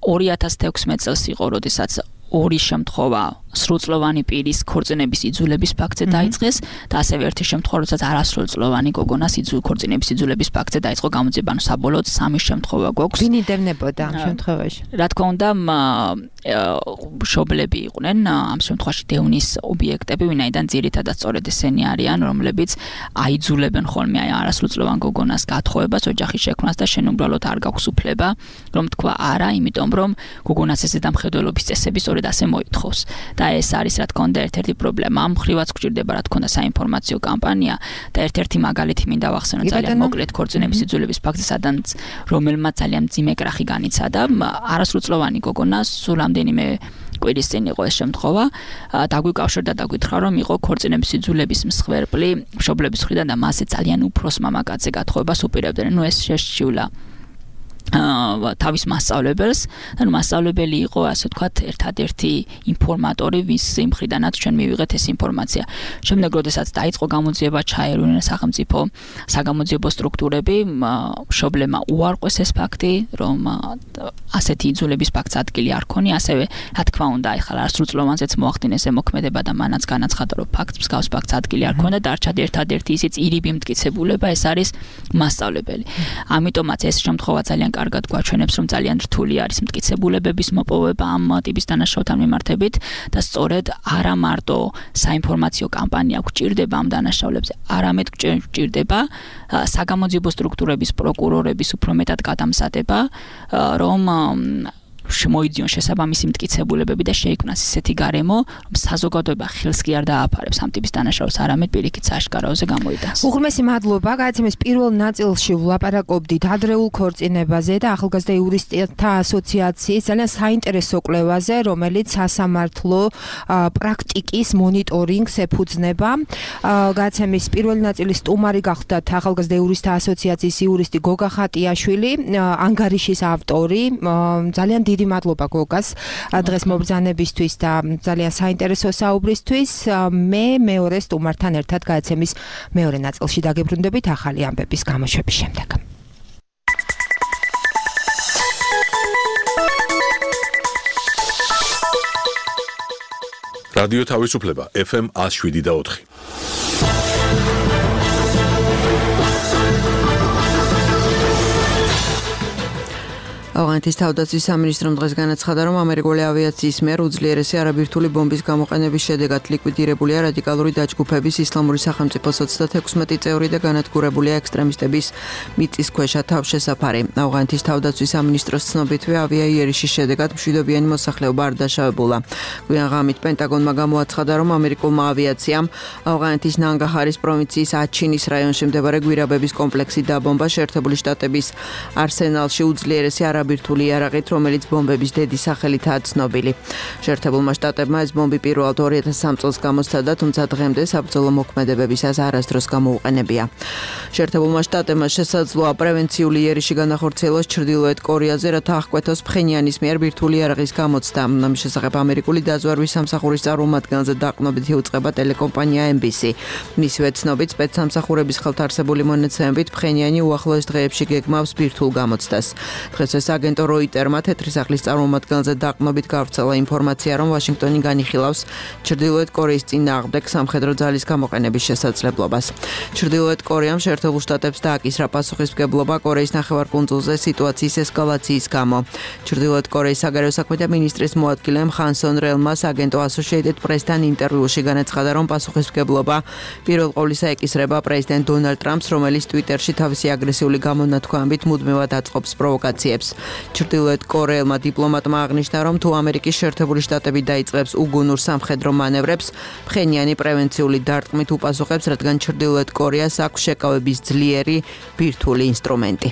ორი ათას თექვსმეტ წელს იყო, როდესაც ორი შემთხვევა სრულწლოვანი პირის ქორწინების იძულების ფაქტზე დაიწყეს და ასევე ერთი შემთხვევა, როდესაც არასრულწლოვანი გოგონას იძულ ქორწინების იძულების ფაქტზე დაიწყო გამოძიება, ანუ საბოლოოდ სამი შემთხვევა გვაქვს. ვინ იდევნებოდა ამ შემთხვევაში? რა თქმა უნდა, მშობლები იყვნენ ამ შემთხვევაში დევნის ობიექტები, ვინაიდან ძირითადად სწორედ ესენი არიან, რომლებიც აიძულებენ ხოლმე აი არასრულწლოვან გოგონას გათხოვებას, ოჯახის შექმნას და შენ უბრალოდ არ გაქვს უფლება, რომ თქვა არა, იმიტომ რომ გოგონას ესე დამხედველობის წესები სწორედ ასე მოითხოვს. და ეს არის რა თქმა უნდა ერთ-ერთი პრობლემა. ამ მხრივაც გვჭირდება რა თქმა უნდა საინფორმაციო კამპანია და ერთ-ერთი მაგალითი მინდა ვახსენო ძალიან მოკლედ ქორწინების იძულების ფაქტზე, სადაც რომელმაც ძალიან მძიმე კრახი განიცადა. არასრულწლოვანი გოგონა სულ რამდენიმე კვირის წინ იყო ეს შემთხვევა, დაგვიკავშირდა და გითხრა, რომ იყო ქორწინების იძულების მსხვერპლი მშობლების მხრიდან და მასე ძალიან უფროს მამაკაცზე გათხოვებას უპირებდნენ. ნუ ეს შეშჩილა თავის მასწავლებელს, ანუ მასწავლებელი იყო, ასე ვთქვათ, ერთადერთი ინფორმატორი, ვის მხრიდანაც ჩვენ მივიღეთ ეს ინფორმაცია. შემდეგ, როდესაც დაიწყო გამოძიება, ჩაერევნენ სახელმწიფო საგამოძიებო სტრუქტურები, მშობლებმა უარყვეს ეს ფაქტი, რომ ასეთი იძულების ფაქტს ადგილი არ ქონია, ასევე რა თქმა უნდა, ეხლა არასრულწლოვანზეც მოახდინეს ზემოქმედება და მანაც განაცხადა, რომ ფაქტს მსგავს ფაქტს ადგილი არ ქონდა, დარჩა ერთადერთი ისიც ირიბი მტკიცებულება, ეს არის მასწავლებელი. ამიტომაც ეს შემთხვევა ძალიან კარგად გვაჩვენებს, რომ ძალიან რთული არის მტკიცებულებების მოპოვება ამ ტიპის დანაშაულთან მიმართებით და სწორედ არა მარტო საინფორმაციო კამპანია გვჭირდება ამ დანაშაულებზე, არამედ გვჭირდება საგამოძიებო სტრუქტურების პროკურორების უფრო მეტად გადამზადება, რომ შემოიძიონ შესაბამისი მტკიცებულებები და შეიქმნას ისეთი გარემო, რომ საზოგადოება ხელს კი არ დააფარებს ამ ტიპის დანაშაულს, არამედ პირიქით საშკარავზე გამოიტანს. უღრმესი მადლობა, გადაცემის პირველ ნაწილში ვლაპარაკობდით ადრეულ ქორწინებაზე და ახალგაზრდა იურისტთა ასოციაციის ძალიან საინტერესო კვლევაზე, რომელიც სასამართლო პრაქტიკის მონიტორინგს ეფუძნება. გადაცემის პირველი ნაწილის სტუმარი გახდათ ახალგაზრდა იურისტთა ასოციაციის იურისტი გოგა ხატიაშვილი, ანგარიშის ავტორი. ძალიან დიდი მადლობა გოგას დღეს მობრძანებისთვის და ძალიან საინტერესო საუბრისთვის. მე მეორე სტუმართან ერთად გადაცემის მეორე ნაწილში დაგებრუნდებით ახალი ამბების გამოშვების შემდეგ. რადიო თავისუფლება ეფ ემ one oh seven და four. ავღანეთის თავდაცვის სამინისტრომ დღეს განაცხადა, რომ ამერიკული ავიაციის მიერ უძლიერესი არაბირთული ბომბის გამოყენების შედეგად ლიკვიდირებულია რადიკალური დაჯგუფების ისლამური სახელმწიფოს ოცდათექვსმეტი წევრი და განადგურებულია ექსტრემისტების მიწისქვეშა თავშესაფარი. ავღანეთის თავდაცვის სამინისტროს ცნობითვე ავიაიერიშის შედეგად მშვიდობიანი მოსახლეობა არ დაშავებულა. გვიან ღამით პენტაგონმა გამოაცხადა, რომ ამერიკულმა ავიაციამ ავღანეთის ნანგაჰარის პროვინციის აჩინის რაიონში მდებარე გვირაბების კომპლექსი დაბომბა შეერთებული შტატების არსენალში უძლიერესი არაბირთული იარაღით, რომელიც ბომბების დედის სახელითაა ცნობილი. შეერთებულმა შტატებმა ეს ბომბი პირველად ორი ათას სამი წელს გამოსცადა, თუმცა დღემდე საბრძოლო მოქმედებებისას არასდროს გამოუყენებია. შეერთებულმა შტატებმა შესაძლოა პრევენციული იერიში განახორციელოს ჩრდილოეთ კორეაზე, რათა აღკვეთოს ფხენიანის მიერ ბირთვული იარაღის გამოცდა. ამის შესახებ ამერიკული დაზვერვის სამსახურის წარმომადგენელზე დაყრდნობით იუწყება ტელეკომპანია ემ ბი სი. მისივე ცნობით, სპეცსამსახურების ხელთარსებული მონაცემებით ფხენიანი უახლოეს დღეებში გეგმავს ბირთვულ გამოცდას. დღეს ეს აგენტო როიტერმა თეთრი სახლის წარმომადგენელზე დაყრდნობით გავრცელა ინფორმაცია, რომ ვაშინგტონი განიხილავს ჩრდილოეთ კორეის წინააღმდეგ სამხედრო ძალის გამოყენების შესაძლებლობას. ჩრდილოეთ კორეამ შეერთებულ შტატებს დააკისრა პასუხისმგებლობა კორეის ნახევარკუნძულზე სიტუაციის ესკალაციის გამო. ჩრდილოეთ კორეის საგარეო საქმეთა მინისტრის მოადგილემ ხანსონ რელმა აგენტო Associated Press-თან ინტერვიუში განაცხადა, რომ პასუხისმგებლობა პირველ ყოვლისა ეკისრება პრეზიდენტ დონალდ ტრამპს, რომელიც ტვიტერში თავისი აგრესიული გამონათქვამებით მუდმივად აწყობს პროვოკაციებს. ჩრდილოეთ კორეელმა დიპლომატმა აღნიშნა, რომ თუ ამერიკის შეერთებული შტატები დაიწყებს უგუნურ სამხედრო მანევრებს, ფხენიანი პრევენციული დარტყმით უპასუხებს, რადგან ჩრდილოეთ კორეას აქვს შეკავების ძლიერი ბირთვული ინსტრუმენტი.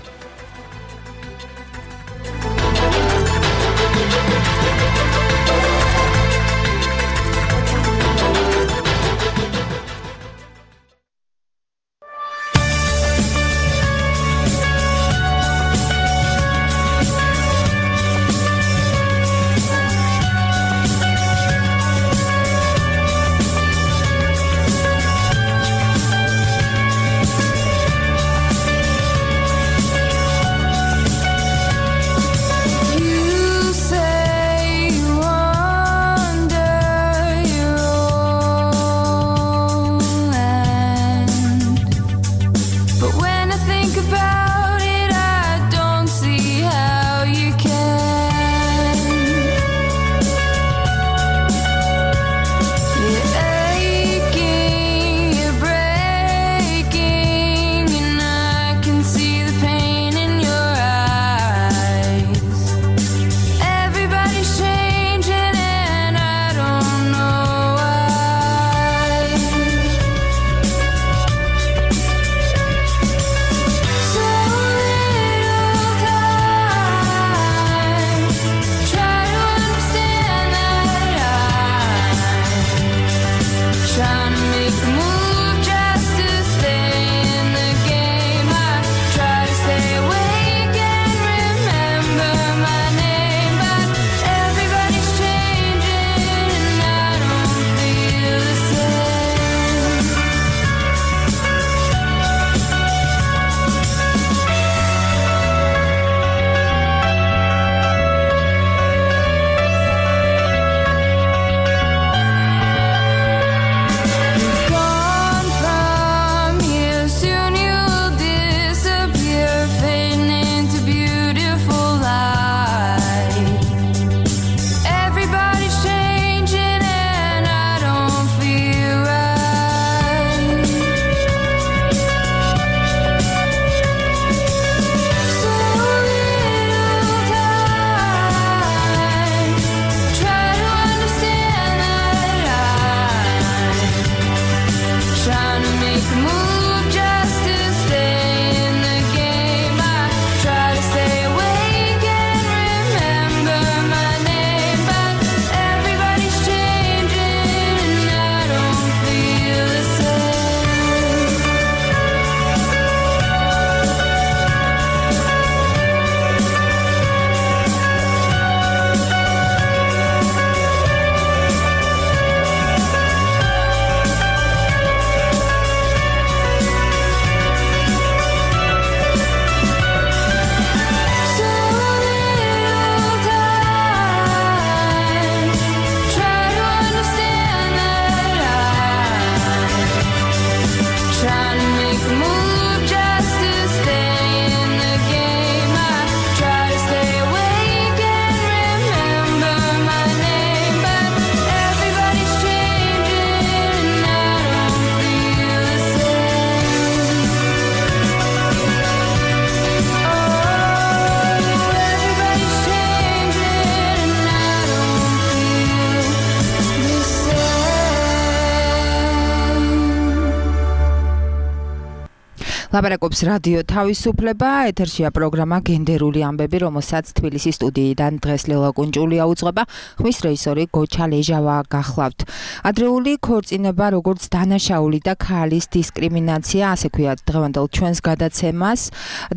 ლაპარაკობს რადიო თავისუფლება, ეთერშია პროგრამა გენდერული ამბები, რომელსაც თბილისის სტუდიიდან დღეს ლელა კუნჭულია უძღვება, ხმის რეჟისორი გოჩა ლეჟავა გახლავთ. ადრეული ქორწინება, როგორც დანაშაული და ქალის დისკრიმინაცია, ასე ქვია დღევანდელ ჩვენს გადაცემას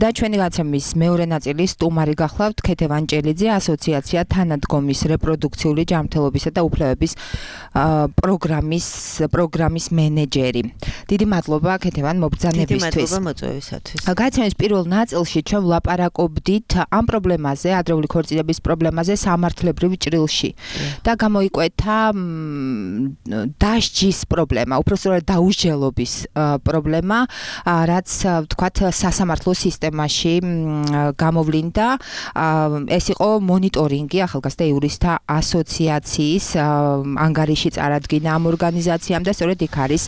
და ჩვენი გადაცემის მეორე ნაწილი სტუმარი გახლავთ ქეთევან ჭელიძე, ასოციაცია თანადგომის რეპროდუქციული ჯანმრთელობისა და უფლებების პროგრამის პროგრამის მენეჯერი. დიდი მადლობა ქეთევან მობრძანებისთვის. მოწვევისათვის. გადაცემის პირველ ნაწილში ჩვენ ვლაპარაკობდით ამ პრობლემაზე, ადრეული ქორწინების პრობლემაზე სამართლებრივ ჭრილში და გამოიკვეთა დასჯის პრობლემა, უпростоრად დაუსჯელობის პრობლემა, რაც ვთქვათ სასამართლო სისტემაში გამოვლინდა. ეს იყო მონიტორინგი ახალგაზრდა იურისტთა ასოციაციის ანგარიში წარადგინა ამ ორგანიზაციამ და სწორედ იქ არის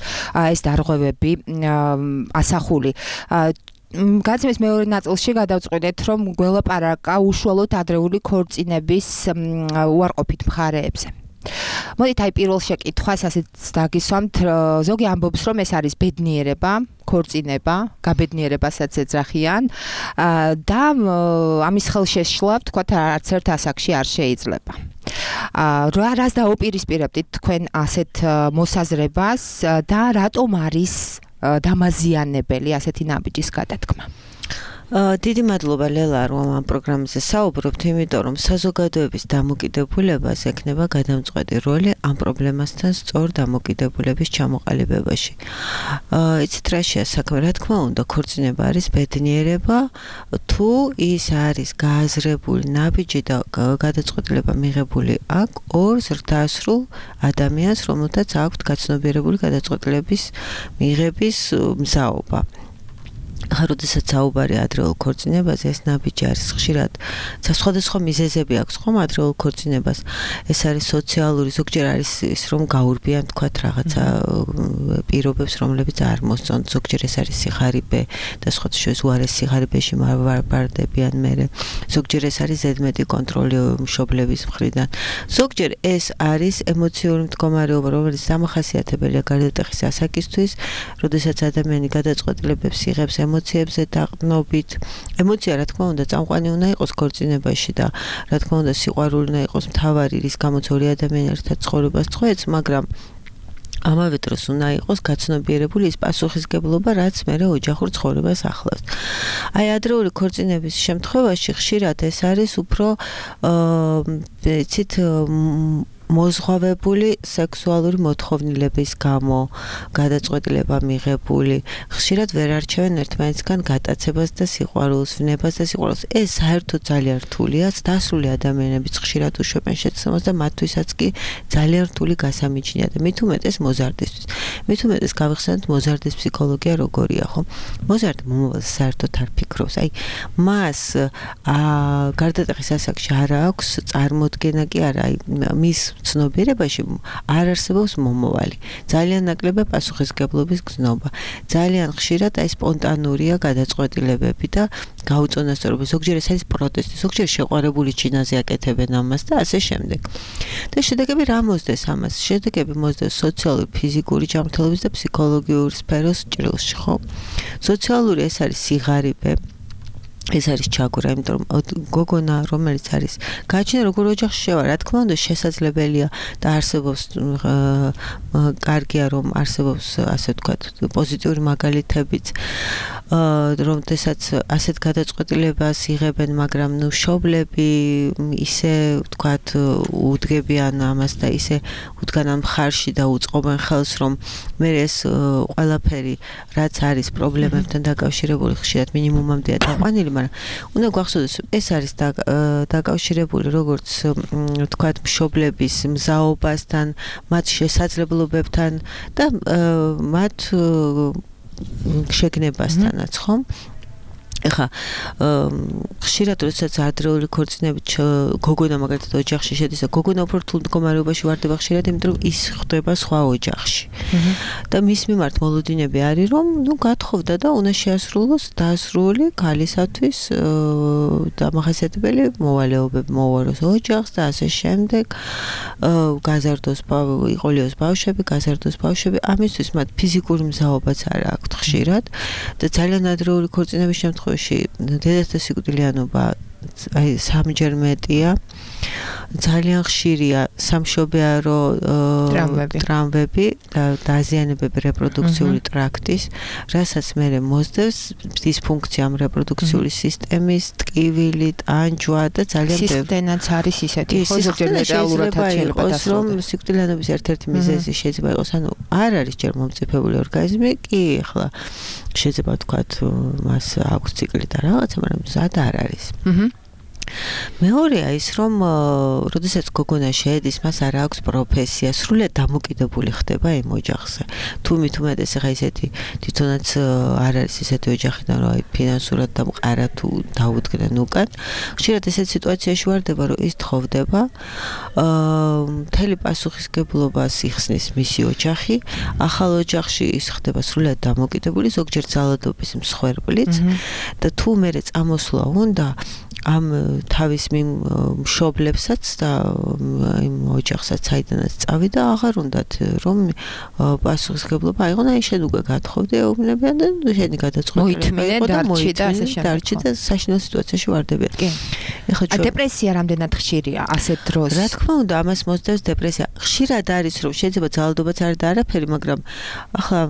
ეს დარღვევები ასახული. გადაცემის მეორე ნაწილში გადავწყვეტეთ, რომ გველაპარაკა უშუალოდ ადრეული ქორწინების უარყოფით მხარეებზე. მოდით აი პირველ შეკითხვას ასეც დაგისვამთ, ზოგი ამბობს, რომ ეს არის ბედნიერება, ქორწინება, გაბედნიერებასაც ეძახიან და ამის ხელშეშლა, ვთქვათ, არც ერთ ასაკში არ შეიძლება. რა რას დაუპირისპირებდით თქვენ ასეთ მოსაზრებას და რატომ არის დამაზიანებელი ასეთი ნაბიჯის გადადგმა? დიდი მადლობა ლელა, რომ ამ პროგრამაზე საუბრობთ, იმიტომ რომ საზოგადოების დამოკიდებულებას ექნება გადამწყვეტი როლი ამ პრობლემასთან სწორ დამოკიდებულების ჩამოყალიბებაში. იცით რა შეა საქმე, რა თქმა უნდა, ქორწინება არის ბედნიერება, თუ ის არის გააზრებული ნაბიჯი და გადაწყვეტილება მიღებული აქ ორ ზრდასრულ ადამიანს, რომელთაც აქვთ გაცნობიერებული გადაწყვეტილების მიღების მზაობა. როდესაც საუბარი ადრეულ ქორწინებაზე, ეს ნაბიჯი არის ხშირად სხვადასხვა მიზეზები აქვს ხომ ადრეულ ქორწინებას. ეს არის სოციალური, ზოგჯერ არის ის რომ გაურბიან თქვათ რაღაცა პირობებს, რომლებიც არ მოსწონთ, ზოგჯერ ეს არის სიხარიბე და სხვა შორის უარეს სიხარიბეში ვარდებიან მერე. ზოგჯერ ეს არის ზედმეტი კონტროლი მშობლების მხრიდან. ზოგჯერ ეს არის ემოციური მდგომარეობა, რომელიც დამახასიათებელია გარდატეხის ასაკისთვის, როდესაც ადამიანი გადაწყვეტილებებს იღებს ემოციებზე დაყრდნობით. ემოცია, რა თქმა უნდა, წამყვანი უნდა იყოს ქორწინებაში და რა თქმა უნდა, სიყვარული უნდა იყოს მთავარი, რის გამოც ორი ადამიანი ერთად ცხოვრებას წყვეტს, მაგრამ ამავე დროს უნდა იყოს გაცნობიერებული ის პასუხისგებლობა, რაც მერე ოჯახურ ცხოვრებას ახლავს. აი, ადრეული ქორწინების შემთხვევაში ხშირად ეს არის უფრო იცით მოზღვავებული სექსუალური მოთხოვნილების გამო გადაწყვეტილება მიღებული. ხშირად ვერ არჩევენ ერთმანეთისგან გატაცებას და სიყვარულს, ვნებას და სიყვარულს. ეს საერთოდ ძალიან რთულია, დასრული ადამიანებიც ხშირად უშვებენ შეცდომას და მათთვისაც კი ძალიან რთული გასამიჯნია და მით უმეტეს მოზარდისთვის. მით უმეტეს გავიხსენოთ მოზარდის ფსიქოლოგია როგორია, ხო? მოზარდი მომავალს საერთოდ არ ფიქრობს. აი, მას გარდატეხის ასაკში არ აქვს წარმოდგენა კი არა, აი, მის ცნობიერებაში არ არსებობს მომავალი. ძალიან ნაკლებია პასუხისგებლობის გზნობა. ძალიან ხშირად აი სპონტანურია გადაწყვეტილებები და გაუწონასწორობა. ზოგჯერ ეს არის პროტესტი, ზოგჯერ შეყვარებული ჩინაზე აკეთებენ ამას და ასე შემდეგ. და შედეგები რა მოსდეს ამას? შედეგები მოსდეს სოციალური, ფიზიკური ჯანმრთელობის და ფსიქოლოგიური სფეროს ჭრილში, ხო? სოციალური ეს არის სიღარიბე. ეს არის ჩაგვრა, იმიტომ რომ გოგონა, რომელიც არის გააჩნია როგორ ოჯახში შევა, რა თქმა უნდა, შესაძლებელია და არსებობს კარგია რომ არსებობს ასე ვთქვათ პოზიტიური მაგალითებიც, რომ თესაც ასეთ გადაწყვეტილებას იღებენ, მაგრამ ნუ მშობლები ისე ვთქვათ უდგებიან ამას და ისე უდგან ამ მხარში და უწყობენ ხელს, რომ მე ეს ყველაფერი რაც არის პრობლემებთან დაკავშირებული ხშირად მინიმუმამდეა დაყვანილი, მაგრამ უნდა გვახსოვდეს, ეს არის დაკავშირებული როგორც ვთქვათ მშობლების მზაობასთან, მათ შესაძლებლობებთან და მათ შეგნებასთანაც, ხო? ეხა ხშირად როდესაც ადრეული ქორწინებით გოგონა მაგალითად ოჯახში შედის და გოგონა უფრო რთულ მდგომარეობაში ვარდება ხშირად, იმიტომ რომ ის ხდება სხვა ოჯახში. და მის მიმართ მოლოდინები არის რომ ნუ გათხოვდა და უნდა შეასრულოს დასრული ქალისათვის დამახასიათებელი მოვალეობები მოვაროს ოჯახს და ასე შემდეგ გაზარდოს იყოლიოს ბავშვები, გაზარდოს ბავშვები, ამისთვის მათ ფიზიკური მზაობაც არ აქვთ ხშირად და ძალიან ადრეული ქორწინების შემთხვევაში დედათა სიკვდილიანობა აი სამჯერ მეტია. ძალიან ხშირია სამშობიარო ტრამვები და დაზიანებები რეპროდუქციული ტრაქტის, რასაც მერე მოსდევს დისფუნქცია ამ რეპროდუქციული სისტემის, ტკივილი, ტანჯვა და ძალიან ბევრი. სისხლდენაც არის ისეთი, ხო ზოგჯერ მეტალურადაც შეიძლება რომ სიკვდილიანობის ერთ-ერთი მიზეზი შეიძლება იყოს, ანუ არ არის ჯერ მომწიფებული ორგანიზმი, კი ახლა შეიძლება ვთქვათ მას აქვს ციკლი და რაღაცა, მაგრამ ზად არ არის. მეორეა ის რომ როდესაც გოგონა შეედის, მას არ აქვს პროფესია, სრულიად დამოკიდებული ხდება იმ ოჯახზე. თუ მით უმეტეს ახლა ისეთი თვითონაც არ არის ისეთი ოჯახიდან, რომ აი ფინანსურად დამყარა თუ დაუდგნენ უკან. ხშირად ესეთ სიტუაციაში ვარდება, რომ ის თხოვდება, მთელი პასუხისგებლობას იხსნის მისი ოჯახი, ახალ ოჯახში ის ხდება სრულიად დამოკიდებული, ზოგჯერ ძალადობის მსხვერპლიც და თუ მერე წამოსვლა უნდა ამ თავის მშობლებსაც და იმ ოჯახსაც საიდანაც წავიდა, აღარ უნდათ რომ პასუხისგებლობა აიღონ, აი შენ უკვე გათხოვდი ეუბნებიან და შენი გადაწყვეტილება იყო და მოიწმინე დარჩი და საშინელ სიტუაციაში ვარდებიან. ეხლა დეპრესია რამდენად ხშირია ასეთ დროს? რა თქმა უნდა, ამას მოსდევს დეპრესია. ხშირად არის რომ შეიძლება ძალადობაც არ და არაფერი, მაგრამ ახლა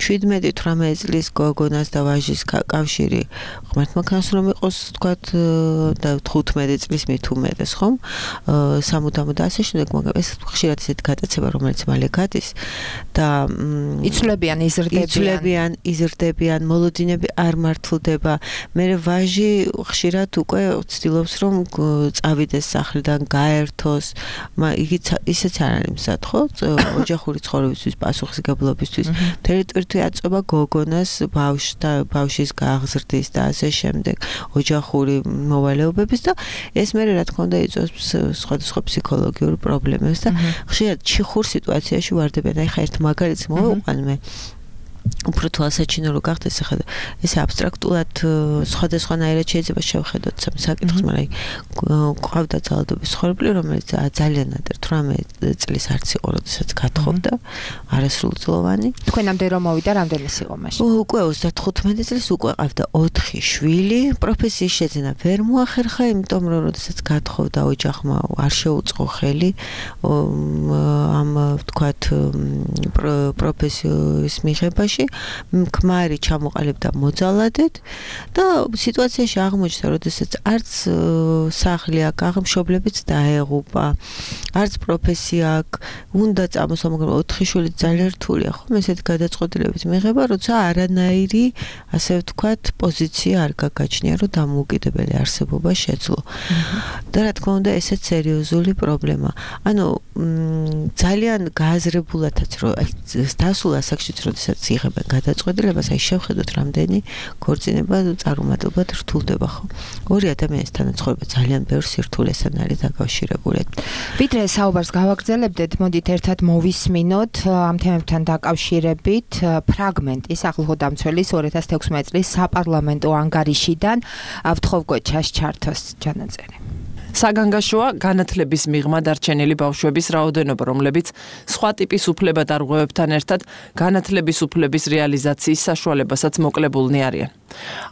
შვიდმეტი თვრამეტი წლის გოგონას და ვაჟის კავშირი ღმერთმაქანს რომ იყოს თქვათ და თხუთმეტი წლის მით უმეტეს ხომ სამუდამოდ და ასე შემდეგ, მაგრამ ეს ხშირად ისეთი გადაცემა რომელიც მალე გადის და იცვლებიან, იზრდებიან იცვლებიან, იზრდებიან, მოლოდინები არ მართლდება. მე ვაჟი ხშირად უკვე ცდილობს რომ წავიდეს სახლიდან, გაერთოს, იგი ისეც არ არის მზად, ხო? ოჯახური ცხოვრებისთვის, პასუხისგებლობისთვის. მთელი ტვირთი აწובה გოგონას ბავშვთა, ბავშვის გაღზრდის და ასე შემდეგ, ოჯახური მოვალეობების და ეს მე რა თქმა უნდა იწვევს სხვადასხვა ფსიქოლოგიურ პრობლემებს და ხშირად ჩიხურ სიტუაციაში ვარდებიან. აი ხა ერთ მაგალითს მოვიყვან მე. უფრო თვალსაჩინო რო გახდეს ახლა ეს აბსტრაქტულად სხვადასხვანაირად შეიძლება შევხედოთ სამ საკითხს, მაგრამ ყავდა ძალადობის ცხოვრებული, რომელიც ძალიან ადრე თვრამეტი წლის არც იყო, როდესაც გათხოვდა, არასრულწლოვანი. თქვენამდე რომ მოვიდა, რამდენი იყო მაშინ? უკვე ოცდათხუთმეტი წლის უკვე ყავდა ოთხი შვილი, პროფესიის შეძენა ვერ მოახერხა, იმიტომ რომ როდესაც გათხოვდა ოჯახმა არ შეუწყო ხელი ამ ვთქვათ პროფესიის მიღებაში. ქმარი ჩამოყალიბდა მოძალადედ და სიტუაციაში აღმოჩნდა, როდესაც არც სახლი აქვს, მშობლებიც დაეღუპა, არც პროფესია აქვს, უნდა წამოსვა, მაგრამ ოთხი შვილი ძალიან რთულია, ხო? ესეთი გადაწყვეტილებით მიღება, როცა არანაირი, ასე ვთქვათ, პოზიცია არ გაგაჩნია, რომ დამოუკიდებელი არსებობა შეძლო. და რა თქმა უნდა, ესეც სერიოზული პრობლემა. ანუ ძალიან გააზრებულათაც რომ დასულ ასაკშიც, როდესაც იღებენ გადაწყვეტილებას, აი შევხედოთ რამდენი ქორწინება წარუმატებლად რთულდება, ხო? ორი ადამიანის თანაცხოვრება ძალიან ბევრ სირთულესთან არის დაკავშირებული. ვიდრე საუბარს გავაგრძელებდეთ, მოდით ერთად მოვისმინოთ ამ თემებთან დაკავშირებით ფრაგმენტი სახელმწიფოდამცველის ორი ათას თექვსმეტი წლის საპარლამენტო ანგარიშიდან. ვთხოვ გოჩას ჩართოს ჩანაწერი. საგანგაშოა განათლების მიღმა დარჩენილი ბავშვების რაოდენობა, რომლებიც სხვა ტიპის უფლებადარღვევებთან ერთად განათლების უფლების რეალიზაციის საშუალებასაც მოკლებულნი არიან.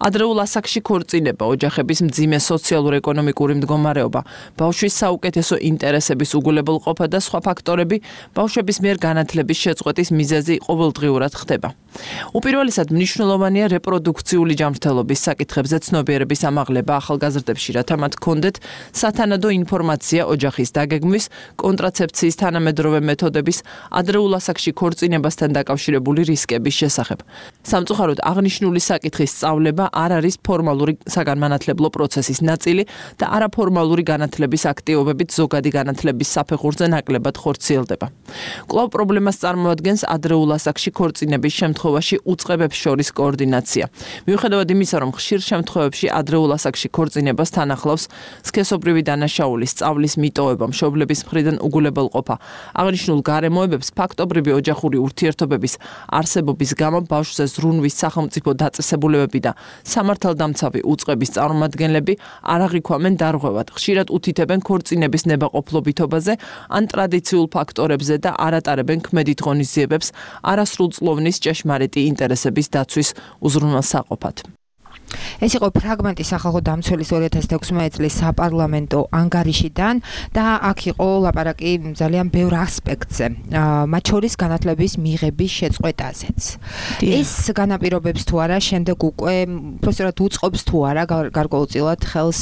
ადრეულ ასაკში ქორწინება, ოჯახების მძიმე სოციალურ-ეკონომიკური მდგომარეობა, ბავშვის საუკეთესო ინტერესების უგულებელყოფა და სხვა ფაქტორები ბავშვების მიერ განათლების შეწყვეტის მიზეზი ყოველდღიურად ხდება. უპირველესად მნიშვნელოვანია რეპროდუქციული ჯანმრთელობის საკითხებზე ცნობიერების ამაღლება ახალგაზრდებში, რათა მათ ჰქონდეთ სათანადო ინფორმაცია ოჯახის დაგეგმვის, კონტრაცეფციის თანამედროვე მეთოდების, ადრეულ ასაკში ქორწინებასთან დაკავშირებული რისკების შესახებ. სამწუხაროდ აღნიშნული საკითხის სწავლება არ არის ფორმალური საგანმანათლებლო პროცესის ნაწილი და არაფორმალური განათლების აქტივობებით ზოგადი განათლების საფეხურზე ნაკლებად ხორციელდება. კვლავ პრობლემას წარმოადგენს ადრეულ ასაკში ქორწინების შემთხვევაში უწყებებს შორის კოორდინაცია. მიუხედავად იმისა, რომ ხშირ შემთხვევებში ადრეულ ასაკში ქორწინებას თან ახლავს სქესობრივი დანაშაულის სწავლის მიტოვება, მშობლების მხრიდან უგულებელყოფა. აღნიშნულ გარემოებებს ფაქტობრივი ოჯახური ურთიერთობების არსებობის გამო ბავშვზე ზრუნვის სახელმწიფო დაწესებულებები და სამართალდამცავი უწყების წარმომადგენლები არ აღიქვამენ დარღვევად. ხშირად უთითებენ ქორწინების ნებაყოფლობითობაზე ან ტრადიციულ ფაქტორებზე და არ ატარებენ ქმედით ღონისძიებებს არასრულწლოვნის ჭეშმარიტი ინტერესების დაცვის უზრუნველსაყოფად. ეს იყო ფრაგმენტი სახალხო დამცველის ორი ათას ექვსმეტი წლის საპარლამენტო ანგარიშიდან და აქ იყო ლაპარაკი ძალიან ბევრ ასპექტზე, მათ შორის განათლების მიღების შეწყვეტაზეც. ეს განაპირობებს თუ არა შემდეგ უკვე პროფესორად უწყობს თუ არა გარკვეულწილად ხელს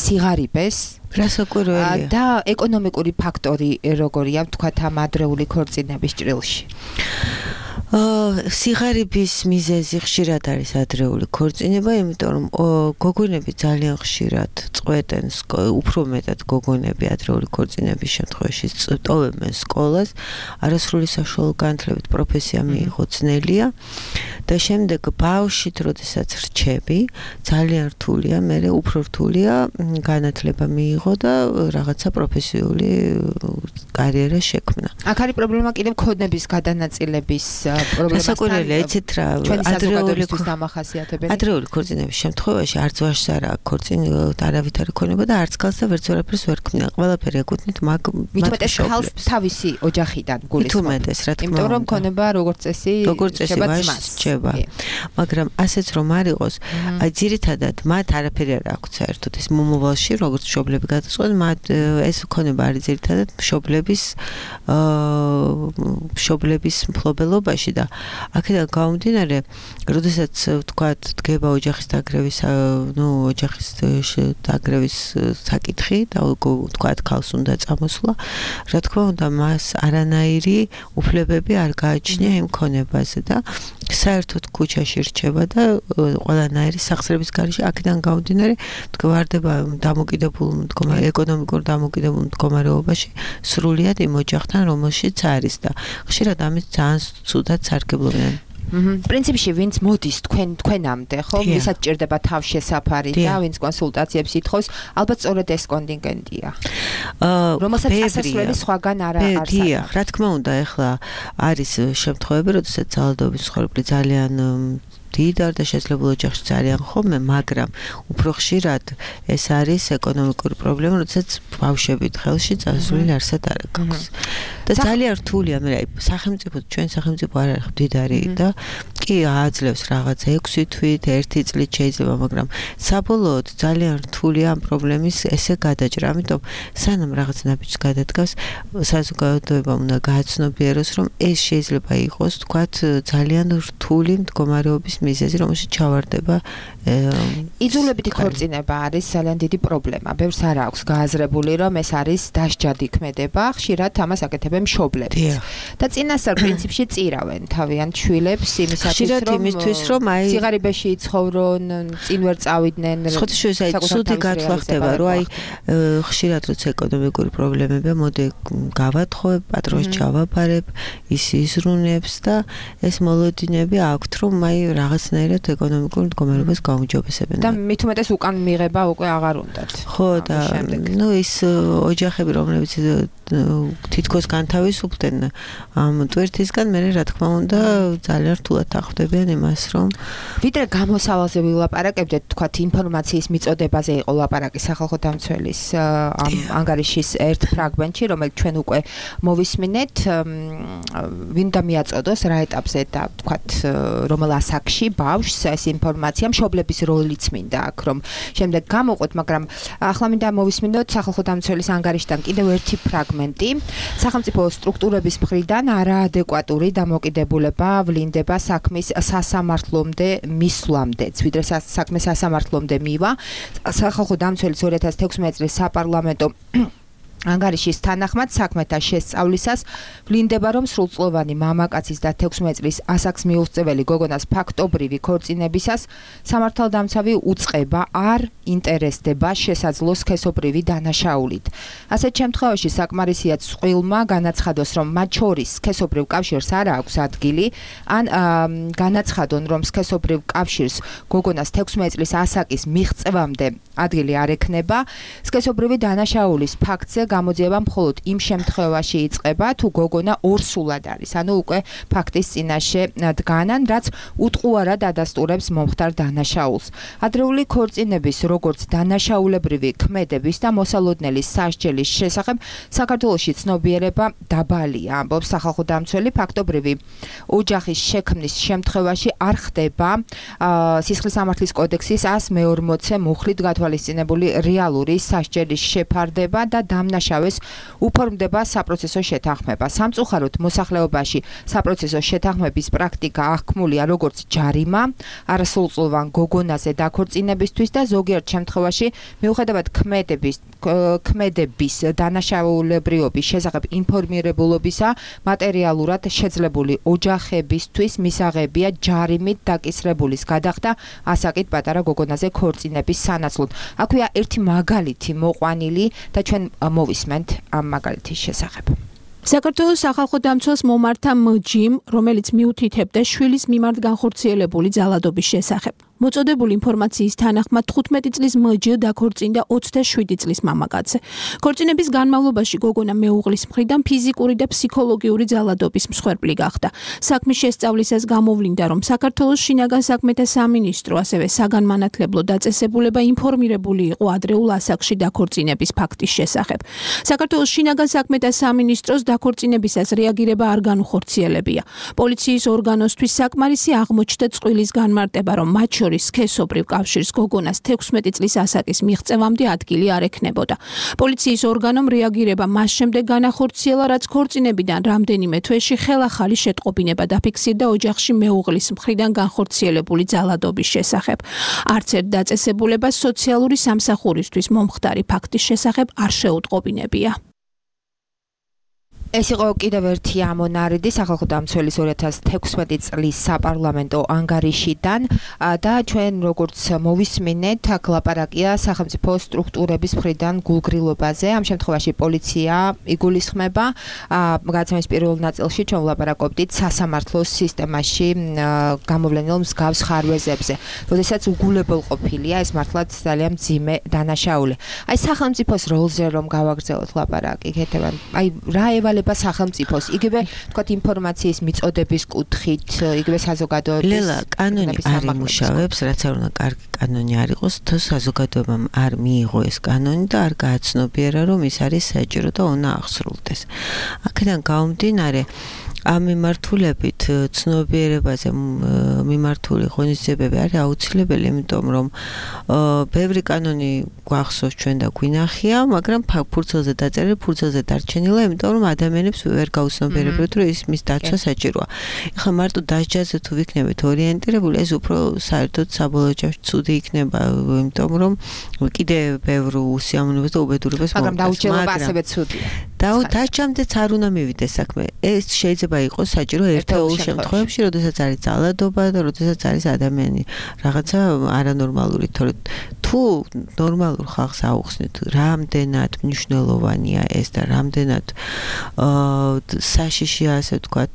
სიღარიბეს რასაკვირველია და ეკონომიკური ფაქტორი როგორია ვთქვათ ამ ადრეული ქორწინების ჭრილში. სიღარიბის მიზეზი ხშირად არის ადრეული ქორწინება, იმიტომ რომ გოგონები ძალიან ხშირად წყვეტენ, უფრო მეტად გოგონები ადრეული ქორწინების შემთხვევაში ტოვებენ სკოლას, არასრული საშუალო განათლებით პროფესია მიიღო ძნელია და შემდეგ ბავშვით, როდესაც რჩები, ძალიან რთულია, მერე უფრო რთულია განათლება მიიღო და რაღაცა პროფესიული კარიერა შექმნა. აქ არის პრობლემა კიდევ ქონების გადანაწილების რასაკვირველია, იცით რა, ადრეული დამახასიათებელი. ადრეული ქორწინების შემთხვევაში არც ვაჟს არ აქვს ქორწინება, არავითარი ქონება და არც ქალს და ვერც ვერაფერს ვერ ქმნიან. ყველაფერი ეკუთვნით მაგ მithumetes ქალს თავისი ოჯახიდან გულისხმობ. მithumetes, რა თქმა უნდა. იმიტომ რომ ქონება როგორც წესი შეება. მაგრამ ასეც რომ არ იყოს, აი ძირითადად მათ არაფერი არ აქვს საერთოდ ეს მომავალში, როგორც მშობლები გადაწყვეტენ, მათ ეს ქონება არის ძირითადად მშობლების მშობლების მფლობელობაში და აქედან გამომდინარე, როდესაც ვთქვათ, დგება ოჯახის დაგრევის, ნუ ოჯახის დაგრევის საკითხი და ვთქვათ, ქალს უნდა წამოსვლა, რა თქმა უნდა, მას არანაირი უფლებები არ გააჩნია იმ ქონებაზე და საერთოდ ქუჩაში რჩება და ყველანაირი სახსრების გარეშე აქედან გამომდინარე, მდგომარეობა დამოკიდებულ მდგომარეობაში, ეკონომიკურ დამოკიდებულ მდგომარეობაში სრულიად იმ ოჯახთან, რომელშიც არის და ხშირად ამის ძალიან ცუდად სარგებლობენ. პრინციპში ვინც მოდის თქვენ თქვენამდე, ხო, ვისაც ჭირდება თავშესაფარი და ვინც კონსულტაციებს ითხოვს, ალბათ სწორედ ეს კონტინგენტია. რომელსაც ასასვლელი სხვაგან არ არის. დიახ, რა თქმა უნდა, ეხლა არის შემთხვევები, როდესაც ძალადობის ცხოვრება ძალიან დიდარ და შესაძლებლო ოჯახში ძალიან ხოლმე, მაგრამ უფრო ხშირად ეს არის ეკონომიკური პრობლემა, როდესაც ბავშვებით ხელში წასვლილი არსად არ აქვს. და ძალიან რთულია, მე სახელმწიფო, ჩვენ სახელმწიფო არ არის მდიდარი და კი აძლევს რაღაც ექვსი თვით, ერთი წლით შეიძლება, მაგრამ საბოლოოდ ძალიან რთულია ამ პრობლემის ესე გადაჭრა. ამიტომ სანამ რაღაც ნაბიჯს გადადგას, საზოგადოებამ უნდა გააცნობიეროს, რომ ეს შეიძლება იყოს, თქვათ, ძალიან რთული მდგომარეობის მიზეზი, რომელშიც ჩავარდება იძულებითი ქორწინება არის ძალიან დიდი პრობლემა. ბევრს არ აქვს გააზრებული, რომ ეს არის დასჯადი ქმედება, ხშირად ამას აკეთებენ მშობლები. და წინასწარ პრინციპში წირავენ თავიანთ შვილებს იმისათვის, რომ იმისთვის, რომ აი სიღარიბეში იცხოვრონ, წინ ვერ წავიდნენ. ხოთშუის აი ცუდი გათვლა ხდება, რომ აი ხშირად როცა ეკონომიკური პრობლემებია, მოდი გავათხოვებ, პატრონს ჩავაბარებ, ის იზრუნებს და ეს მოლოდინები აქვთ, რომ აი რაღაცნაირად ეკონომიკურ მდგომარეობას გაუმჯობესებენ. და მithumetes უკან მიღება უკვე აღარ უნდათ. ხო და ნუ ის ოჯახები, რომლებიც თითქოს განთავისუფლდნენ ამ ტვირთისგან, მე რა თქმა უნდა ძალიან რთულად ახდებიან იმას, რომ ვიდრე გამოსავალზე ვილაპარაკებდეთ, თქვათ ინფორმაციის მიწოდებაზე იყო ლაპარაკი სახალხო დამცველის ამ ანგარიშის ერთ ფრაგმენტში, რომელიც ჩვენ უკვე მოვისმინეთ, ვინდა მიაწოდოს რა ეტაპზე და თქვათ რომელ ასაკში ბავშვს ეს ინფორმაცია, მშობლების როლიც მინდა აქ, რომ შემდეგ გამოყვეთ, მაგრამ ახლა მინდა მოვისმინოთ სახალხო დამცველის ანგარიშთან კიდევ ერთი ფრაგმენტი დოკუმენტი. სახელმწიფო სტრუქტურების მხრიდან არაადეკვატური დამოკიდებულება ვლინდება საქმის სასამართლომდე მისვლამდე. ვიდრე საქმე სასამართლომდე მივა, სახალხო დამცველის ორი ათას თექვსმეტი წლის საპარლამენტო ანგარიშის თანახმად საქმეთა შესწავლისას ვლინდება, რომ სრულწლოვანი მამაკაცის და თექვსმეტი წლის ასაკს მიუღწეველი გოგონას ფაქტობრივი ქორწინებისას სამართალდამცავი უწყება არ ინტერესდება შესაძლო სქესობრივი დანაშაულით. ასეთ შემთხვევაში საკმარისია წყვილმა განაცხადოს, რომ მათ შორის სქესობრივ კავშირს არ აქვს ადგილი, ან განაცხადონ, რომ სქესობრივ კავშირს გოგონას თექვსმეტი წლის ასაკის მიღწევამდე ადგილი არ ექნება. სქესობრივი დანაშაულის ფაქტზე გამოძიება მხოლოდ იმ შემთხვევაში იწყება, თუ გოგონა ორსულად არის, ანუ უკვე ფაქტის წინაშე დგანან, რაც უტყუარად ადასტურებს მომხდარ დანაშაულს. ადრეული ქორწინების, როგორც დანაშაულებრივი ქმედების და მოსალოდნელის სასჯელის შესახებ საქართველოში ცნობიერება დაბალია, ამბობს სახალხო დამცველი. ფაქტობრივი ოჯახის შექმნის შემთხვევაში არ ხდება სისხლის სამართლის კოდექსის ასი მეორმოცე მუხლით გათვალისწინებული რეალური სასჯელის შეფარდება და დამნაშავეს უფორმდება საპროცესო შეთანხმება. სამწუხაროდ მოსახლეობაში საპროცესო შეთანხმების პრაქტიკა აღქმულია როგორც ჯარიმა არასრულწლოვან გოგონაზე დაქორწინებისთვის და ზოგიერთ შემთხვევაში მიუხედავად ქმედების ქმედების დანაშაულებრიობის შესახებ ინფორმირებულობისა მატერიალურად შეძლებული ოჯახებისთვის მისაღებია ჯარიმით დაკისრებულის გადახდა ასაკით პატარა გოგონაზე ქორწინების სანაცვლოდ. აქვეა ერთი მაგალითი მოყვანილი და ჩვენ მოვისმენთ ამ მაგალითის შესახებ. საქართველოს სახალხო დამცველს მომართა მჯიმ, რომელიც მიუთითებდა შვილის მიმართ განხორციელებული ძალადობის შესახებ. მოწოდებული ინფორმაციის თანახმად თხუთმეტი წლის მჯ დაქორწინდა ოცდაშვიდი წლის მამაკაცზე. ქორწინების განმავლობაში გოგონა მეუღლის მხრიდან ფიზიკური და ფსიქოლოგიური ძალადობის მსხვერპლი გახდა. საქმის შესწავლისას გამოვლინდა, რომ საქართველოს შინაგან საქმეთა სამინისტრო, ასევე საგანმანათლებლო დაწესებულება ინფორმირებული იყო ადრეულ ასაკში დაქორწინების ფაქტის შესახებ. საქართველოს შინაგან საქმეთა სამინისტროს დაქორწინებისას რეაგირება არ განუხორციელებია. პოლიციის ორგანოსთვის საკმარისი აღმოჩნდა წყვილის განმარტება, რომ მათ შორის სქესობრივ კავშირს გოგონას თექვსმეტი წლის ასაკის მიღწევამდე ადგილი არ ექნებოდა. პოლიციის ორგანომ რეაგირება მას შემდეგ განახორციელა, რაც ქორწინებიდან რამდენიმე თვეში ხელახალი შეტყობინება დაფიქსირდა ოჯახში მეუღლის მხრიდან განხორციელებული ძალადობის შესახებ. არც ერთ დაწესებულებას სოციალური სამსახურისთვის მომხდარი ფაქტის შესახებ არ შეუტყობინებია. ეს იყო კიდევ ერთი ამონარიდი სახალხო დამცველის ორი ათას თექვსმეტი წლის საპარლამენტო ანგარიშიდან და ჩვენ როგორც მოვისმინეთ, აქ ლაპარაკია სახელმწიფო სტრუქტურების მხრიდან გულგრილობაზე. ამ შემთხვევაში პოლიცია იგულისხმება. გადაცემის პირველ ნაწილში ჩვენ ვლაპარაკობდით სასამართლოს სისტემაში გამოვლენილ მსგავს ხარვეზებზე. როდესაც უგულებელყოფილია ეს მართლაც ძალიან მძიმე დანაშაული. აი სახელმწიფოს როლზე რომ გავაგრძელოთ ლაპარაკი, ქეთევან, აი რა ევალება სახელმწიფოს, იგივე თქვათ ინფორმაციის მიწოდების კუთხით, იგივე საზოგადოების ლელა კანონი არ იმუშავებს, რაც არ უნდა კარგი კანონი არ იყოს, თუ საზოგადოებამ არ მიიღო ეს კანონი და არ გააცნობიერა, რომ ის არის საჭირო და უნდა აღსრულდეს. აქედან გამომდინარე, ამ მიმართულებით ცნობიერებაზე მიმართული ღონისძიებები არის აუცილებელი, იმიტომ რომ ბევრი კანონი გვახსოვს ჩვენ და გვინახია, მაგრამ ფურცელზე დაწერილი, ფურცელზე დარჩენილა, იმიტომ რომ ადამიანებს ვერ გაუცნობიერებთ, რომ ის მის დაცვა საჭიროა. ეხლა მარტო დასჯაზე თუ ვიქნებით ორიენტირებული, ეს უფრო საერთოდ საბოლოო ჯამში ცუდი იქნება, იმიტომ რომ კიდე ბევრ უსიამოვნებას და უბედურებას მოგვიწევს. მაგრამ დაუჭირება ასევე ცუდია. და დასჯამდეც არ უნდა მივიდეს საქმე. ეს შეიძლება იყოს საჭირო ერთეულ შემთხვევებში, როდესაც არის ძალადობა და როდესაც არის ადამიანი რაღაცა არანორმალური, თორე თუ ნორმალურ ხალხს აუხსნით, რამდენად მნიშვნელოვანია ეს და რამდენად საშიშია, ასე ვთქვათ,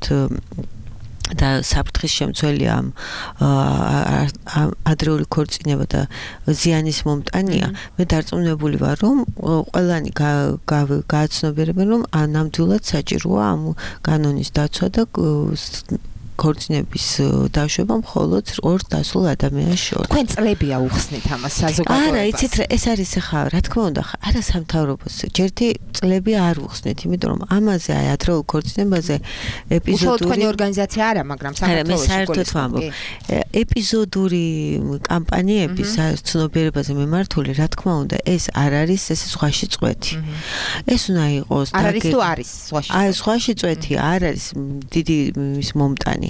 და საფრთხის შემცველია ამ ადრეული ქორწინება და ზიანის მომტანია. მე დარწმუნებული ვარ, რომ ყველანი გააცნობიერებენ, რომ ნამდვილად საჭიროა ამ კანონის დაცვა და ქორწინების დაშვება მხოლოდ ორ დასულ ადამიანს შორის. თქვენ წლებია უხსნით ამას საზოგადოებას. არა, იცით რა, ეს არის ახლა, რა თქმა უნდა, არა სამთავრობოს. ჯერთი წლები არ უხსნით, იმიტომ რომ ამაზე აი ადრეულ ქორწინებაზე ეპიზოდური თქვენი ორგანიზაცია არა, მაგრამ საქართველოს საერთოდ ვამბობ. ეპიზოდური კამპანიები ცნობიერებაზე მიმართული, რა თქმა უნდა, ეს არ არის ეს ზღვაში წვეთი. ეს უნდა იყოს არ არის თუ არის ზღვაში. აი, ზღვაში წვეთი არ არის დიდი ის მომტანი.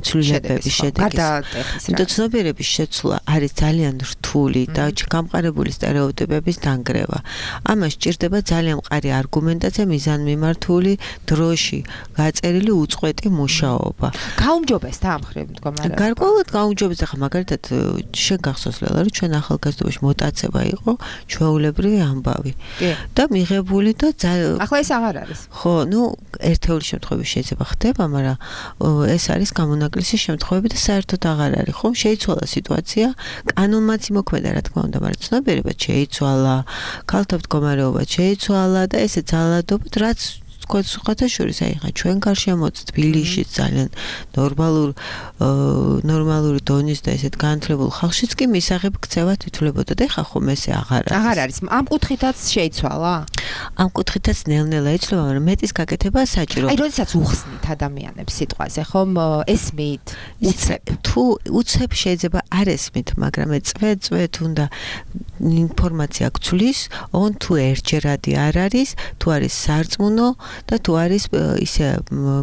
ცვლილებების შედეგი. და ცნობიერების შეცვლა არის ძალიან რთული და გამყარებული სტერეოტიპების დანგრევა. ამას სჭირდება ძალიან მყარი არგუმენტაცია, მიზანმიმართული, დროში გაწერილი უწყვეტი მუშაობა. გაუმჯობესდა ამ ხრივ მდგომარეობა. გარკვეულად გაუმჯობესდა, ხა მაგალითად შენ გახსოვს ლელა, რომ ჩვენ ახალგაზრდობაში მოტაცება იყო ჩვეულებრივი ამბავი. და მიღებული და ახლა ეს აღარ არის. ხო, ну, ერთეული შემთხვევები შეიძლება ხდება, მაგრამ ეს არის გამონაკლისი შემთხვევები და საერთოდ აღარ არის. ხომ შეიცვალა სიტუაცია, კანონმაც იმოქმედა, რა თქმა უნდა, მაგრამ ცნობიერებაც შეიცვალა, ქალთა მდგომარეობა შეიცვალა და ესე ძალადობთ, რაც თქვა სხვათაშორის აი ხა ჩვენ გარშემო მოც თბილისში ძალიან ნორმალურ ნორმალური დონის და ესეთ განათლებულ ხალხშიც კი მისაღებ ქცევა თვითლებოდა და ხა ხომ ესე აღარ არის. აღარ არის. ამ კუთხითაც შეიცვალა? ამ კუთხითაც ნელ-ნელა იცვლება, მაგრამ მეტის გაკეთება საჭირო. აი, როდესაც უხსნით ადამიანებს სიტყვაზე, ხომ ესმით, უცებ. თუ უცებ შეიძლება არ ესმით, მაგრამ წვეთ-წვეთ უნდა ინფორმაცია გცვლის, on თუ ერთჯერადი არ არის, თუ არის სარწმუნო და თუ არის ისე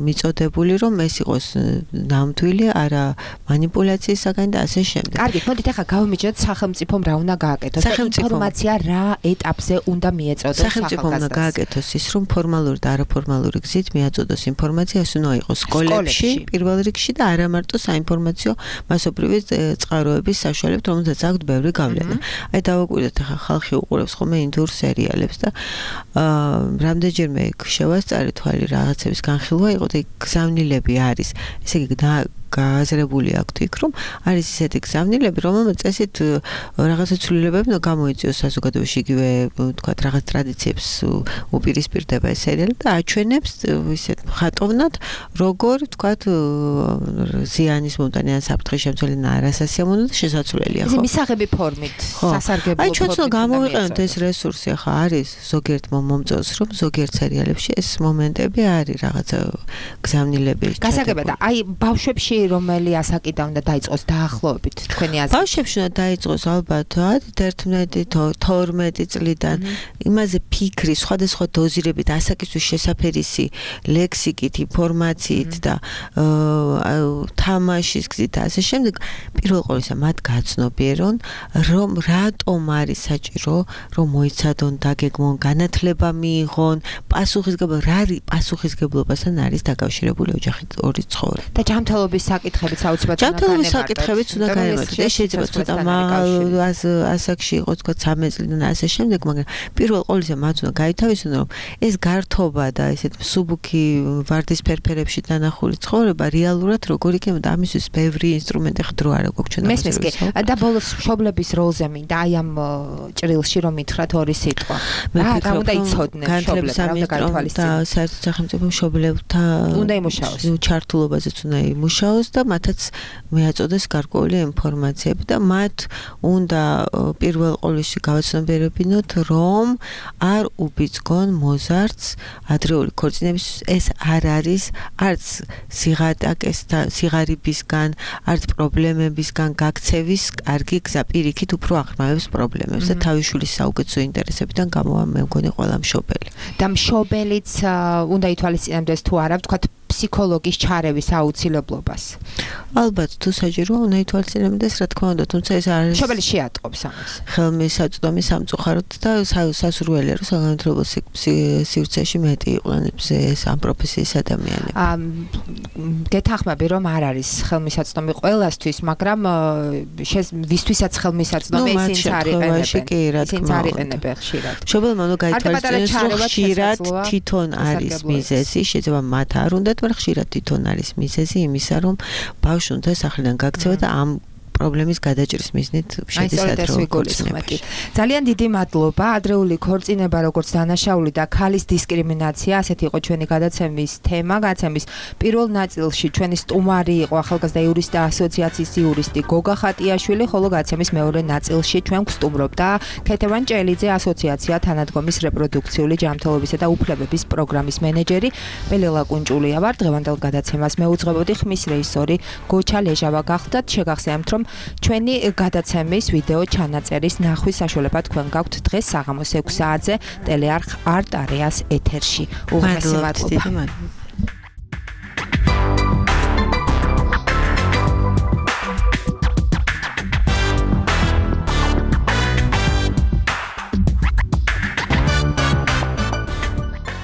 მიწოდებული, რომ ეს იყოს ნამდვილი, არა манипуляციის საგანი და ასე შემდეგ. კარგი, მოდით ახლა გავიმიჯნოთ სახელმწიფომ რა უნდა გააკეთოს და ინფორმაცია რა ეტაპზე უნდა მიეწოდოს სახელმწიფომ უნდა გააკეთოს ის, რომ ფორმალური და არაფორმალური გზით მიაწოდოს ინფორმაცია, ეს უნდა იყოს სკოლებში, პირველ რიგში და არა მარტო საინფორმაციო მასობრივი წყაროების საშუალებით, რომელსაც აქვთ ბევრი გავლენა. აი დავაკვირდეთ ახლა ხალხი უყურებს ხოლმე ინდურ სერიალებს და აა რამდენჯერმე შევასწარე თვალი რაღაცების განხილვა იყო და გზავნილები არის. ესე იგი გააზრებული აქვთ იქ, რომ არის ისეთი გზავნილები, რომელმაც წესით რაღაცა ცვლილებები უნდა გამოიწვიოს საზოგადოებაში, იგივე თქვათ რაღაც ტრადიციებს უპირისპირდება ეს სერიალი და აჩვენებს ისეთ ხატოვნად, როგორ თქვათ ზიანის მომტანი ან საფრთხის შემცველი და არასასიამოვნო და შესაძლებელია, ხო? მისაღები ფორმით, სასარგებლო ფორმით. აი ჩვენც უნდა გამოვიყენოთ ეს რესურსი, ახლა არის ზოგიერთ მომწონს, რომ ზოგიერთ სერიალებში ეს მომენტები არის რაღაცა გზავნილები. გასაგებად, აი ბავშვებში რომელი ასაკიდან უნდა დაიწყოს დაახლოებით თქვენი აზრით? ბავშვებში უნდა დაიწყოს ალბათ ათი თორმეტი წლიდან. იმაზე ფიქრი, სხვადასხვა დოზირებით, ასაკისთვის შესაფერისი ლექსიკით, ინფორმაციით და თამაშის გზით და ასე შემდეგ. პირველ ყოვლისა მათ გაცნობიერონ, რომ რატომ არის საჭირო, რომ მოიცადონ, დაგეგმონ, განათლება მიიღონ, პასუხისგებლობა, რა არის პასუხისგებლობასთან არის დაკავშირებული ოჯახით ორი ცხოვრება. და ჯანმრთელობის საკითხებიც აუცილებლად უნდა ჯანმრთელობის საკითხებიც უნდა გაემართოს. ეს შეიძლება ცოტა ასაკში იყოს თქვა ცამეტ წლიდან ასე შემდეგ, მაგრამ პირველ ყოვლისა მათ უნდა გაითავისონ, რომ ეს გართობა და ესეთ მსუბუქი ვარდის ფერფერებში დანახული ცხოვრება რეალურად როგორ იქნება, ამისთვის ბევრი ინსტრუმენტი ხდრო არა გვაქვს ჩვენ. მესმის კი. და ბოლოს მშობლების როლზე მინდა აი ამ ჭრილში რომ მითხრათ ორი სიტყვა. რა უნდა იცოდნენ მშობლები, რა უნდა გაითვალისწინონ და საერთოდ სახელმწიფო მშობლებთან უნდა იმუშაოს. ჩართულობაზეც უნდა იმუშაოს და მათაც მიაწოდეს გარკვეული ინფორმაციები და მათ უნდა პირველ ყოვლში გავაცნობიერებინოთ, რომ არ უბიძგონ მოზარდს ადრეული ქორწინების ეს არ არის არც სიღატაკესთან, სიღარიბისგან, არც პრობლემებისგან გაქცევის კარგი გზა, პირიქით უფრო აღრმავებს პრობლემებს და თავის შვილის საუკეთესო ინტერესებიდან გამოვა მე მგონი ყველა მშობელი. და მშობელიც უნდა ითვალისწინებდეს თუ არა, ვთქვათ ფსიქოლოგის ჩარევის აუცილებლობას. ალბათ თუ საჭიროა უნდა ითვალისწინებდეს, რა თქმა უნდა, თუმცა ეს არის მშობელი შეატყობს ამას. ხელმისაწვდომი სამწუხაროდ და სასურველია, რომ საგანმანათლებლო სივრცეში მეტი იყვნენ ეს ამ პროფესიის ადამიანები. გეთანხმები, რომ არ არის ხელმისაწვდომი ყველასთვის, მაგრამ ვისთვისაც ხელმისაწვდომი ისინიც არიყენებენ. ისინიც არიყენებენ ხშირად. მშობელმა უნდა გაითვალისწინოს, რომ ხშირად თვითონ არის მიზეზი, შეიძლება მათ არ უნდათ, მაგრამ ხშირად თვითონ არის მიზეზი იმისა, რომ ბავშვი უნდა სახლიდან გაქცევა და ამ პრობლემის გადაჭრის მიზნით შედის ადრეული ქორწინებაში. ძალიან დიდი მადლობა. ადრეული ქორწინება როგორც დანაშაული და ქალის დისკრიმინაცია, ასეთი იყო ჩვენი გადაცემის თემა. გადაცემის პირველ ნაწილში ჩვენი სტუმარი იყო ახალგაზრდა იურისტთა ასოციაციის იურისტი გოგა ხატიაშვილი, ხოლო გადაცემის მეორე ნაწილში ჩვენ გვსტუმრობდა ქეთევან ჭელიძე, ასოციაცია თანადგომის რეპროდუქციული ჯანმრთელობისა და უფლებების პროგრამის მენეჯერი. მე ლელა კუნჭულია ვარ. დღევანდელ გადაცემას მეუძღვებოდი, ხმის რეჟისორი გოჩა ლეჟავა გახლდათ. შეგახსენებთ, რომ ჩვენი გადაცემის ვიდეო ჩანაწერის ნახვის საშუალება თქვენ გაქვთ დღეს საღამოს ექვს საათზე ტელეარხ არტ არეას ეთერში. უღმესი მადლობა.